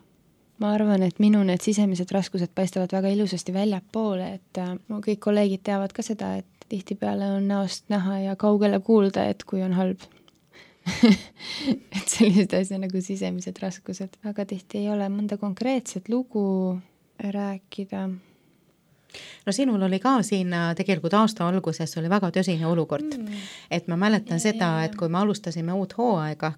Ma arvan, et minu need sisemised raskused paistavad väga ilusasti väljapoole, et mu kõik kolleegid teavad ka seda, et tihtipeale on näost näha ja kaugele kuulda, et kui on halb. et sellised asja nagu sisemised raskused. Väga tihti ei ole mõnda konkreetset lugu rääkida. No sinul oli ka siin tegelikult aasta alguses oli väga tõsine olukord, mm. et ma mäletan ja, seda, ja, ja. et kui me alustasime uut hooaega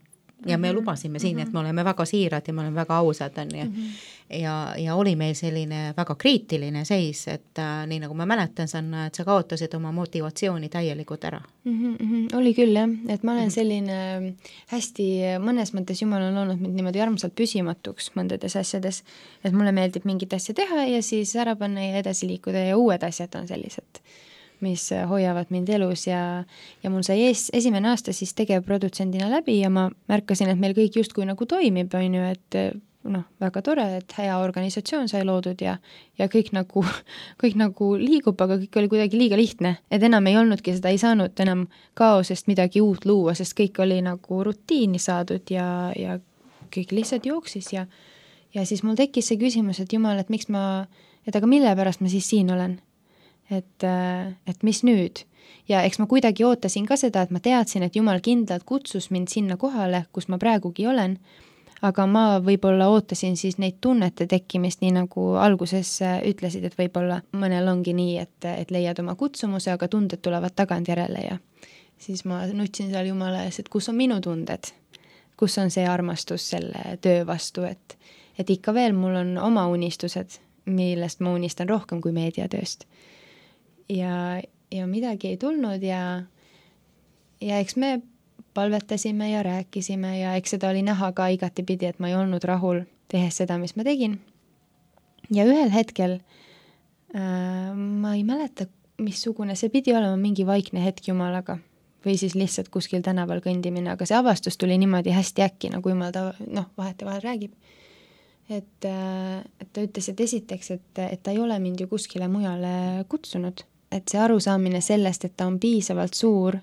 ja me mm -hmm. lubasime siin, et me oleme väga siirad ja me oleme väga ausad, on ju. Mm -hmm. ja, ja oli meil selline väga kriitiline seis, et äh, nii nagu ma mäletan, Sanna, et sa kaotasid oma motivatsiooni täielikult ära. Mm -hmm. Oli küll jah, et ma olen mm -hmm. selline hästi, mõnes mõttes Jumal on olnud mind niimoodi armsalt püsimatuks mõndades asjades, et mulle meeldib mingit asja teha ja siis ära panna ja edasi liikuda ja uued asjad on sellised, mis hoiavad mind elus ja, ja mul sai ees, esimene aasta siis tegevprodutsendina läbi ja ma märkasin, et meil kõik justkui nagu toimib, on ju, et noh, väga tore, et hea organisatsioon sai loodud ja, ja kõik nagu, kõik nagu liigub, aga kõik oli kuidagi liiga lihtne, et enam ei olnudki seda, ei saanud enam kaosest midagi uut luua, sest kõik oli nagu rutiini saadud ja, ja kõik lihtsalt jooksis ja, ja siis mul tekkis see küsimus, et Jumal, et miks ma, et aga mille pärast ma siis siin olen? Et, et mis nüüd? Ja eks ma kuidagi ootasin ka seda, et ma teadsin, et Jumal kindlalt kutsus mind sinna kohale, kus ma praegugi olen, aga ma võib-olla ootasin siis neid tunnete tekkimist, nii nagu alguses ütlesid, et võib-olla mõnel ongi nii, et, et leiad oma kutsumuse, aga tunded tulevad tagantjärele ja siis ma nutsin seal Jumala ees, et kus on minu tunded, kus on see armastus selle töö vastu, et, et ikka veel mul on oma unistused, millest ma unistan rohkem kui meediatööst. Ja, ja midagi ei tulnud ja, ja eks me palvetasime ja rääkisime ja eks seda oli näha ka igatipidi, et ma ei olnud rahul tehes seda, mis ma tegin. Ja ühel hetkel äh, ma ei mäleta, missugune, see pidi olema mingi vaikne hetk Jumalaga või siis lihtsalt kuskil tänaval kõndimine, aga see avastus tuli niimoodi hästi äkki, nagu Jumal ta noh, vahet ja vahel räägib. Et, äh, et ta ütles, et esiteks, et, et ta ei ole mind ju kuskile mujale kutsunud. Et see arusaamine sellest, et ta on piisavalt suur,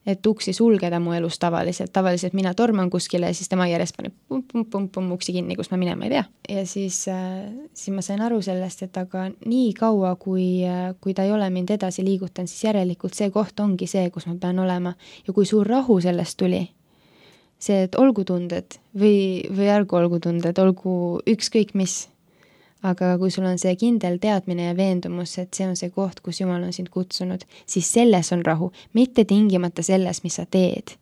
et uksi sulgeda mu elus tavaliselt. Tavaliselt mina torman kuskile ja siis tema järjest paneb pum, pum, pum, pum uksi kinni, kus ma minema ei pea. Ja siis, äh, siis ma sain aru sellest, et aga nii kaua, kui, kui ta ei ole mind edasi liigutan, siis järelikult see koht ongi see, kus ma pean olema. Ja kui suur rahu sellest tuli, see, et olgu tunded või, või ärgu olgu tunded, olgu ükskõik mis. Aga kui sul on see kindel teadmine ja veendumus, et see on see koht, kus Jumal on sind kutsunud, siis selles on rahu, mitte tingimata selles, mis sa teed.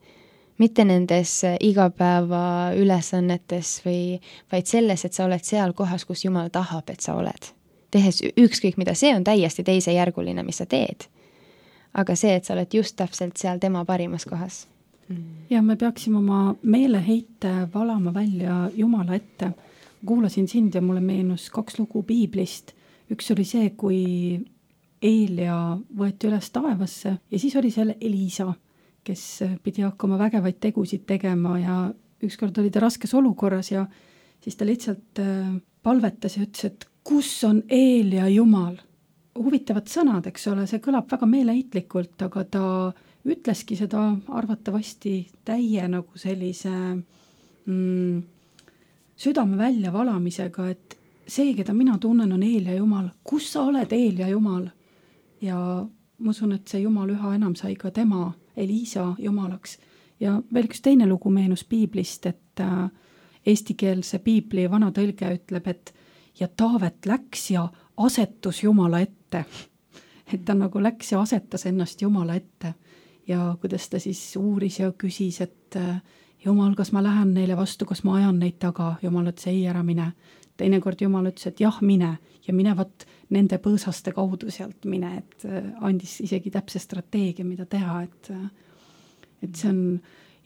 Mitte nendes igapäeva ülesannetes või vaid selles, et sa oled seal kohas, kus Jumal tahab, et sa oled. Tehes ükskõik mida, see on täiesti teisejärguline, mis sa teed. Aga see, et sa oled just täpselt seal tema parimas kohas. Ja me peaksime oma meeleheite valama välja Jumala ette. Kuulasin sind ja mulle meenus kaks lugu piiblist. Üks oli see, kui Eelia võeti üles taevasse ja siis oli seal Elisa, kes pidi hakkama vägevaid tegusid tegema ja ükskord oli ta raskes olukorras ja siis ta lihtsalt palvetas ja ütles, et kus on Eelia Jumal? Huvitavad sõnad, eks ole, see kõlab väga meeleheitlikult, aga ta ütleski seda arvatavasti täie nagu sellise mm, südame välja valamisega, et see, keda mina tunnen, on Eelia Jumal. Kus sa oled, Eelia Jumal? Ja ma usun, et see Jumal üha enam sai ka tema, Elisa Jumalaks. Ja veel üks teine lugu meenus piiblist, et äh, eestikeelse piibli vana tõlge ütleb, et ja Taavet läks ja asetus Jumala ette. Et ta nagu läks ja asetas ennast Jumala ette. Ja kuidas ta siis uuris ja küsis, et äh, Jumal, kas ma lähen neile vastu, kas ma ajan neid taga? Jumal ütles, ei, ära mine. Teinekord Jumal ütles, et jah, mine ja minevat nende põõsaste kaudu sealt mine, et andis isegi täpse strateegia, mida teha, et, et see on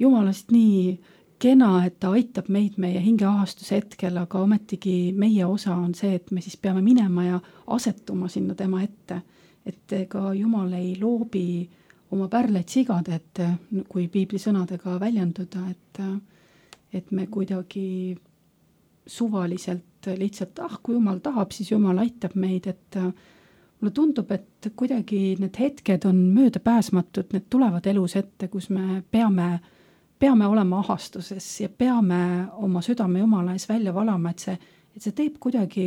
Jumalast nii kena, et ta aitab meid meie hingeahastuse hetkel, aga ometigi meie osa on see, et me siis peame minema ja asetuma sinna tema ette, et ega Jumal ei loobi oma pärleid sigade, et kui piibli sõnadega väljenduda, et, et me kuidagi suvaliselt lihtsalt, ah, kui Jumal tahab, siis Jumal aitab meid, et mulle tundub, et kuidagi need hetked on möödapääsmatud, need tulevad elus ette, kus me peame, peame olema ahastuses ja peame oma südame Jumala ees välja valama, et see, et see teeb kuidagi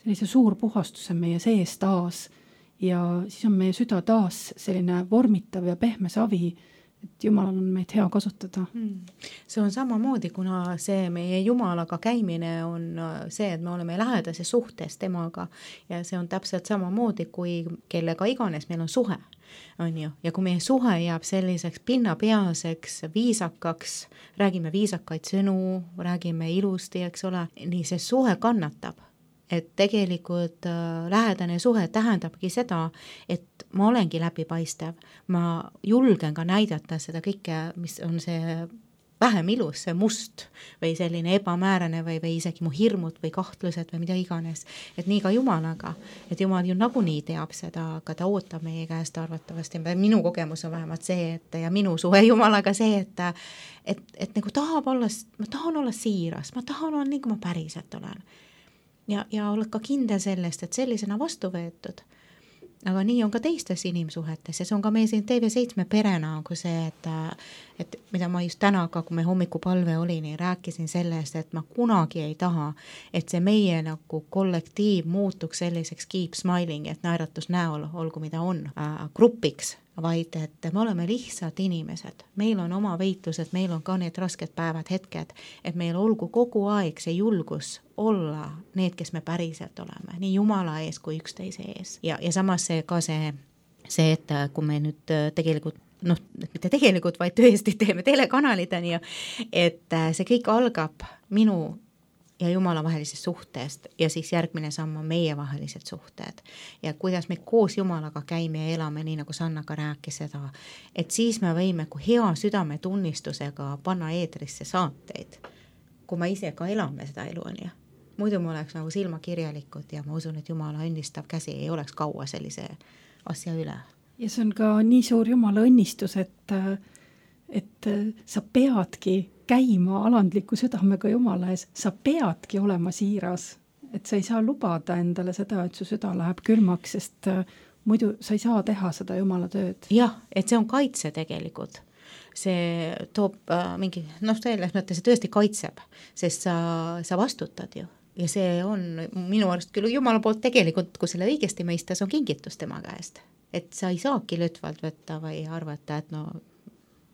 sellise suur puhastuse meie sees taas ja siis on meie süda taas selline vormitav ja pehme savi, et Jumalal on meid hea kasutada. See on samamoodi, kuna see meie Jumalaga käimine on see, et me oleme lähedases suhtes temaga ja see on täpselt samamoodi, kui kellega iganes meil on suhe, on ju, ja kui meie suhe jääb selliseks pinnapealseks, viisakaks, räägime viisakaid sõnu, räägime ilusti, eks ole, nii see suhe kannatab. Et tegelikult äh, lähedane suhe tähendabki seda, et ma olengi läbipaistev, ma julgen ka näidata seda kõike, mis on see vähem ilus, see must või selline ebamäärane või, või isegi mu hirmud või kahtlused või mida iganes. Et nii ka Jumalaga, et Jumal ju nagunii teab seda, aga ta ootab meie käest arvatavasti. Minu kogemus on vähemalt see, et ja minu suhe Jumalaga see, et, et, et nagu tahab olla, ma tahan olla siiras, ma tahan olla nii, kui ma päriselt olen. Ja, ja oled ka kindel sellest, et sellisena vastu võetud. Aga nii on ka teistes inimsuhetes ja see on ka meie siin T V seitse perena on kui see, et, et mida ma just täna ka, kui me hommikupalve oli, nii rääkisin sellest, et ma kunagi ei taha, et see meie nagu kollektiiv muutuks selliseks keep smiling, et naeratus näol, olgu mida on, äh, grupiks, vaid et me oleme lihtsalt inimesed, meil on oma veitlused, meil on ka need rasked päevad, hetked, et meil olgu kogu aeg see julgus olla need, kes me päriselt oleme, nii Jumala ees kui üksteise ees. Ja, ja samas see ka see, see, et kui me nüüd tegelikult, noh, mitte tegelikult, vaid tõesti teeme telekanalid, on ju, et see kõik algab minu ja Jumala vahelisest suhtest ja siis järgmine samm on meie vahelised suhted ja kuidas me koos Jumalaga käime ja elame, nii nagu Sanna ka rääkis seda, et siis me võime kui hea südametunnistusega panna eetrisse saateid, kui me ise ka elame seda elu, on ju. Muidu me oleks nagu silmakirjalikud ja ma usun, et Jumala õnnistav käsi ei oleks kaua sellise asja üle. Ja see on ka nii suur Jumala õnnistus, et, et sa peadki käima alandliku südamega Jumala ees, sa peadki olema siiras, et sa ei saa lubada endale seda, et su süda läheb külmaks, sest muidu sa ei saa teha seda Jumala tööd. Jah, et see on kaitse tegelikult. See toob äh, mingi, noh, selles mõttes see tõesti kaitseb, sest sa, sa vastutad ju. Ja see on minu arust küll Jumala poolt tegelikult, kui selle õigesti mõistas, on kingitus tema käest. Et sa ei saagi lõtvalt võtta või arvata, et no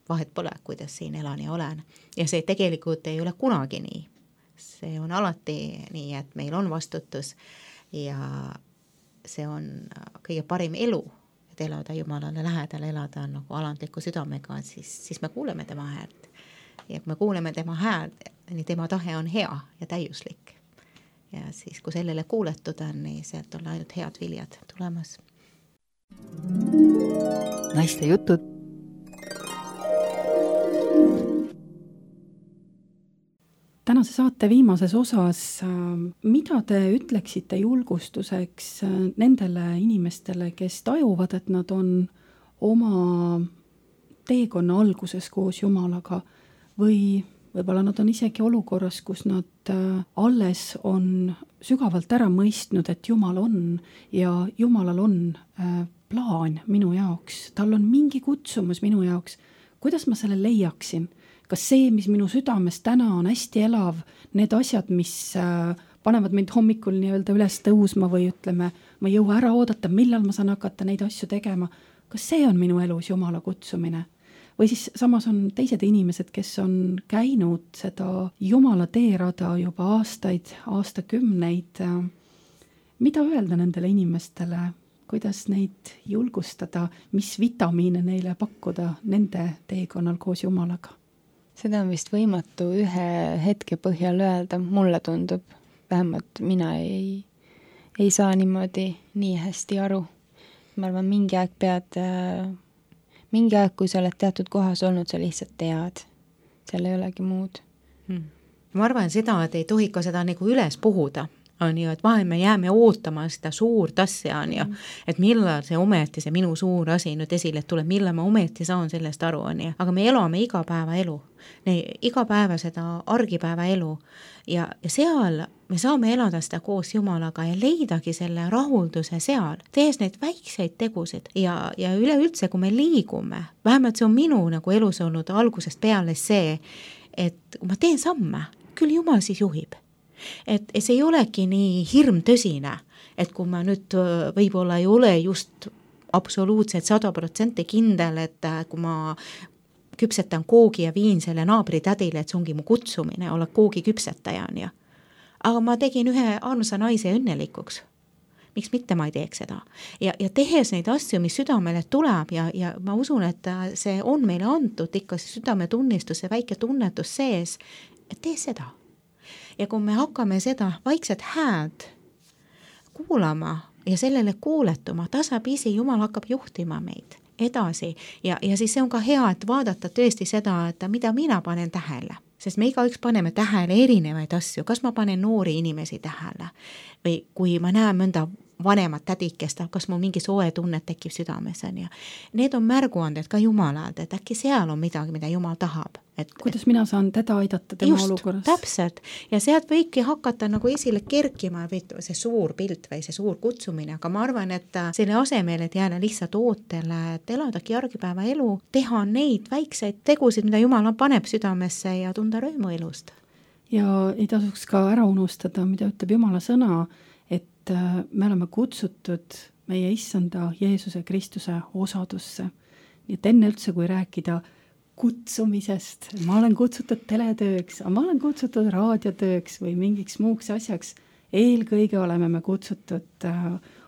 vahet pole, kuidas siin elan ja olen. Ja see tegelikult ei ole kunagi nii. See on alati nii, et meil on vastutus ja see on kõige parim elu, et elada Jumalale lähedal, elada nagu alandliku südamega, siis, siis me kuuleme tema häält. Ja kui me kuuleme tema häält, nii tema tahe on hea ja täiuslik. Ja siis, kui sellele kuuletud on, nii sealt on ainult head viljad tulemas. Naiste jutud. Tänase saate viimases osas, mida te ütleksite julgustuseks nendele inimestele, kes tajuvad, et nad on oma teekonna alguses koos Jumalaga või võib-olla nad on isegi olukorras, kus nad alles on sügavalt ära mõistnud, et Jumal on ja Jumalal on plaan minu jaoks, tal on mingi kutsumus minu jaoks, kuidas ma selle leiaksin? Kas see, mis minu südames täna on hästi elav, need asjad, mis panevad mind hommikul nii-öelda üles tõusma või ütleme, ma ei jõua ära oodata, millal ma saan hakata neid asju tegema, kas see on minu elus Jumala kutsumine? Või siis samas on teised inimesed, kes on käinud seda Jumala teerada juba aastaid, aastakümneid. Mida öelda nendele inimestele? Kuidas neid julgustada? Mis vitamiine neile pakkuda nende teekonnal koos Jumalaga? Seda on vist võimatu ühe hetke põhjal öelda, mulle tundub. Vähemalt mina ei, ei saa niimoodi nii hästi aru. Ma arvan, mingi aeg pead, mingi aeg, kui sa oled teatud kohas olnud, sa lihtsalt tead. Seal ei olegi muud. Hmm. Ma arvan seda, et ei tohi ka seda nagu üles puhuda, on ju, et vahel me jääme ootama seda suurt asja, on ju, et millal see ometi, see minu suur asi nüüd esile tuleb, millal ma ometi saan sellest aru, on ju, aga me elame iga päeva elu, iga päeva seda argipäeva elu ja, ja seal me saame elada seda koos Jumalaga ja leidagi selle rahulduse seal, tehes neid väikseid tegusid ja, ja üleüldse, kui me liigume, vähemalt see on minu nagu elus olnud algusest peale see, et kui ma teen samme, küll Jumal siis juhib. Et see ei olegi nii hirmtõsine, et kui ma nüüd võib-olla ei ole just absoluutselt sada protsenti kindel, et kui ma küpsetan koogi ja viin selle naabri tädile, et see ongi mu kutsumine, olla koogi küpsetaja, on ju. Aga ma tegin ühe armsa naise õnnelikuks. Miks mitte ma ei teeks seda? Ja, ja tehes neid asju, mis südamele tuleb ja, ja ma usun, et see on meile antud ikka südame tunnistus ja väike tunnetus sees, et tee seda. Ja kui me hakkame seda vaikset hääd kuulama ja sellele kuuletuma, tasapisi Jumal hakkab juhtima meid edasi ja, ja siis see on ka hea, et vaadata tõesti seda, et mida mina panen tähele. Sest me igaüks paneme tähele erinevaid asju, kas ma panen noori inimesi tähele või kui ma näen mõnda vanemat tädikest, kas mul mingi soe tunnet tekib südames on ja need on märguanded ka Jumalalt, et äkki seal on midagi, mida Jumal tahab. Et, kuidas mina saan teda aidata tema just, olukorras? Täpselt. Ja sealt võibki hakata nagu esile kerkima või see suur pilt või see suur kutsumine, aga ma arvan, et selle asemel, et jääda lihtsalt ootele, et eladagi argipäeva elu, teha neid väikseid tegusid, mida Jumal paneb südamesse ja tunda rõõmu elust. Ja ei tasuks ka ära unustada, mida ütleb Jumala sõna, et me oleme kutsutud meie issanda Jeesuse Kristuse osadusse. Nii et enne üldse, kui rääkida kutsumisest, ma olen kutsutud teletööks, ma olen kutsutud raadiotööks või mingiks muuks asjaks, eelkõige oleme me kutsutud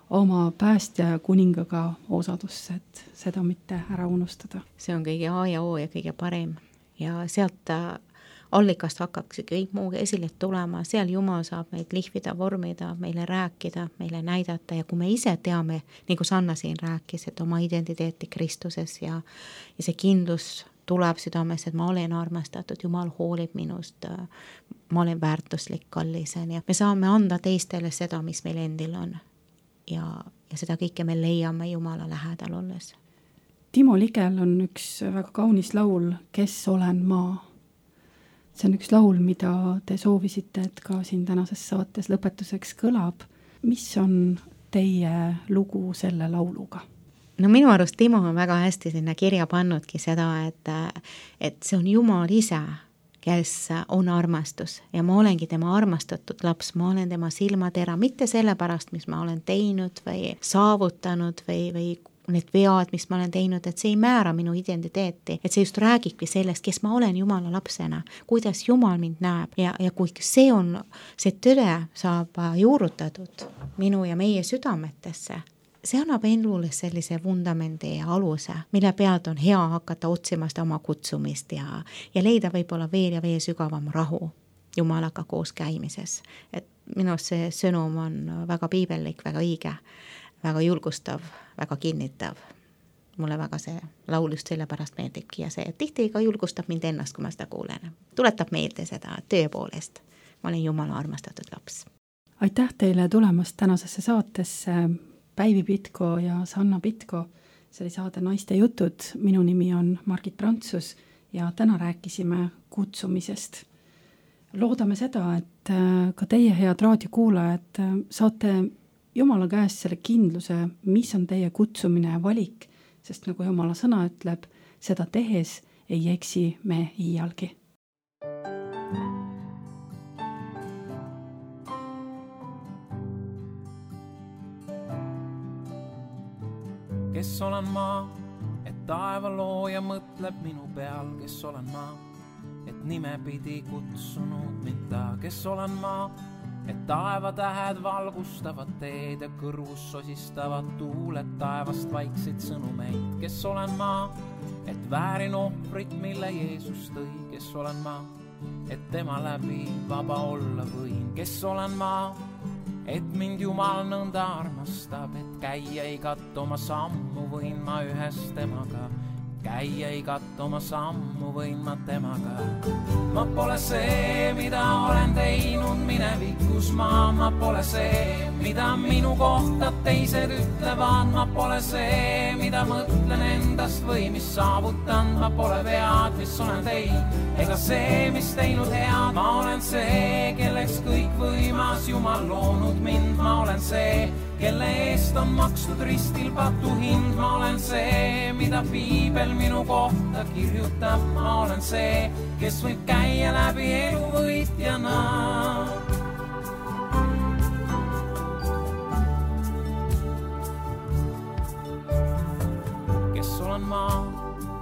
oma päästja ja kuningaga osadusse, et seda mitte ära unustada. See on kõige A ja O ja kõige parem ja sealt allikast hakkaks kõik muu esile tulema, seal Jumal saab meid lihvida, vormida, meile rääkida, meile näidata ja kui me ise teame, nagu Sanna siin rääkis, et oma identiteeti Kristuses ja, ja see kindlus tuleb südames, et ma olen armastatud, Jumal hoolib minust, ma olen väärtuslik, kallis ja me saame anda teistele seda, mis meil endil on ja, ja seda kõike me leiame Jumala lähedal olles. Timo Ligel on üks väga kaunis laul, Kes olen ma? See on üks laul, mida te soovisite, et ka siin tänases saates lõpetuseks kõlab. Mis on teie lugu selle lauluga? No minu arust Timo on väga hästi sinna kirja pannudki seda, et, et see on Jumal ise, kes on armastus ja ma olengi tema armastatud laps, ma olen tema silmatera, mitte selle pärast, mis ma olen teinud või saavutanud või, või need vead, mis ma olen teinud, et see ei määra minu identiteeti, et see just räägibki sellest, kes ma olen Jumala lapsena, kuidas Jumal mind näeb ja, ja kui see on, see tõde saab juurutatud minu ja meie südametesse, see annab elule sellise vundamendi ja aluse, mille pealt on hea hakata otsima seda oma kutsumist ja, ja leida võib-olla veel ja veel sügavam rahu Jumalaga koos käimises. Et minu see sõnum on väga piibellik, väga õige, väga julgustav, väga kinnitav. Mulle väga see laul just sellepärast meeldibki ja see tihti ka julgustab mind ennast, kui ma seda kuulen. Tuletab meelde seda tööpoolest. Ma olen Jumala armastatud laps. Aitäh teile tulemast tänasesse saatesse Päivi Pitko ja Sanna Pitko. See oli saade Naiste jutud. Minu nimi on Margit Prantsus ja täna rääkisime kutsumisest. Loodame seda, et ka teie head raadiokuulajad saate Jumala käest selle kindluse, mis on teie kutsumine ja valik, sest nagu Jumala sõna ütleb, seda tehes ei eksi me iialgi. Kes olen ma, et taeva looja mõtleb minu peal, kes olen ma, et nime pidi kutsunud mind ta, kes olen ma, et taevatähed valgustavad teed ja kõrvus sosistavad tuuled taevast vaikseid sõnumeid. Kes olen ma, et väärin ohvrit, mille Jeesus tõi. Kes olen ma, et tema läbi vaba olla võin. Kes olen ma, et mind Jumal nõnda armastab, et käia igat oma sammu võin ma ühes temaga käia igat oma sammu võin ma temaga. Ma pole see, mida olen teinud minevikus ma, ma pole see, mida minu kohta teised ütlevad, ma pole see, mida mõtlen endast või mis saavutan, ma pole vead, mis olen teinud, ega see, mis teinud head, ma olen see, kelleks kõik võimas Jumal loonud mind, ma olen see, kelle eest on makstud ristil patu hind, ma olen see, mida piibel minu kohta kirjutab, ma olen see, kes võib käia läbi elu võitjana. Kes olen ma,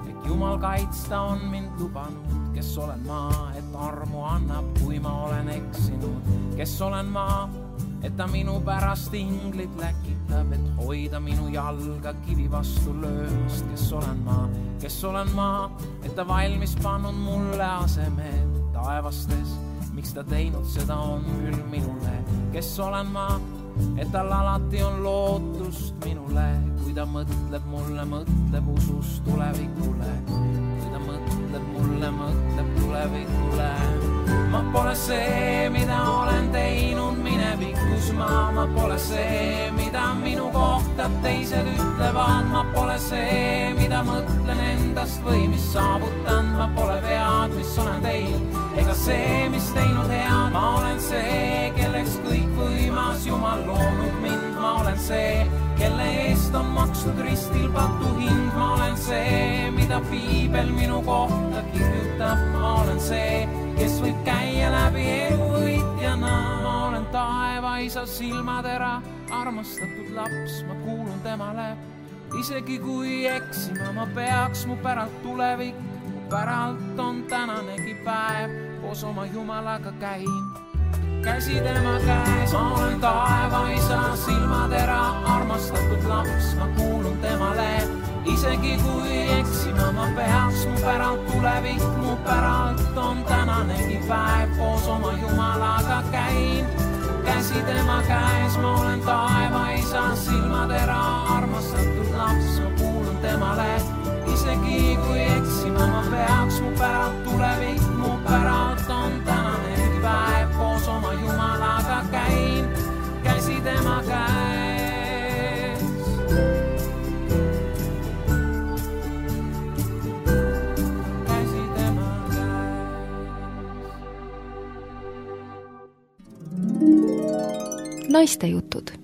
et Jumal kaitsta on mind lubanud, kes olen ma, et armu annab, kui ma olen eksinud, kes olen ma, et ta minu pärast inglit läkitab, et hoida minu jalga kivi vastu löömast, kes olen ma, kes olen ma, et ta valmis pannud mulle asemed taevastes, miks ta teinud seda on küll minule, kes olen ma, et tal alati on lootust minule, kui ta mõtleb mulle, mõtleb usus tulevikule, kui ta mõtleb mulle, mõtleb tulevikule. Ma pole see, mida olen teinud minevikus ma, ma pole see, mida minu kohta teised ütlevad, ma pole see, mida mõtlen endast või mis saavutan, ma pole vead, mis olen teinud, ega see, mis teinud head, ma olen see, kelleks kõik võimas Jumal loonud mind, ma olen see, kelle eest on makstud ristil patu hind, ma olen see, mida piibel minu kohta kirjutab, ma olen see, kes võib käia läbi elu võitjana. Ma olen taevaisa silmatera, armastatud laps, ma kuulun temale. Isegi kui eksima ma peaks, mu päralt tulevik, mu päralt on tänanegi päev, koos oma Jumalaga käin. Käsi tema käes, ma olen taevaisa silmatera, armastatud laps, ma kuulun temale. Isegi kui eksima ma peaks, mu päralt tulevik, mu päralt on tänanegi päev, koos oma Jumalaga käin. Käsi tema käes, ma olen taevaisa silmatera, armastatud laps, ma kuulun temale. Isegi kui eksima ma peaks, mu päralt tulevik, mu päralt on tänanegi päev, koos oma Jumalaga käin. Käsi tema käes. Naistejutud.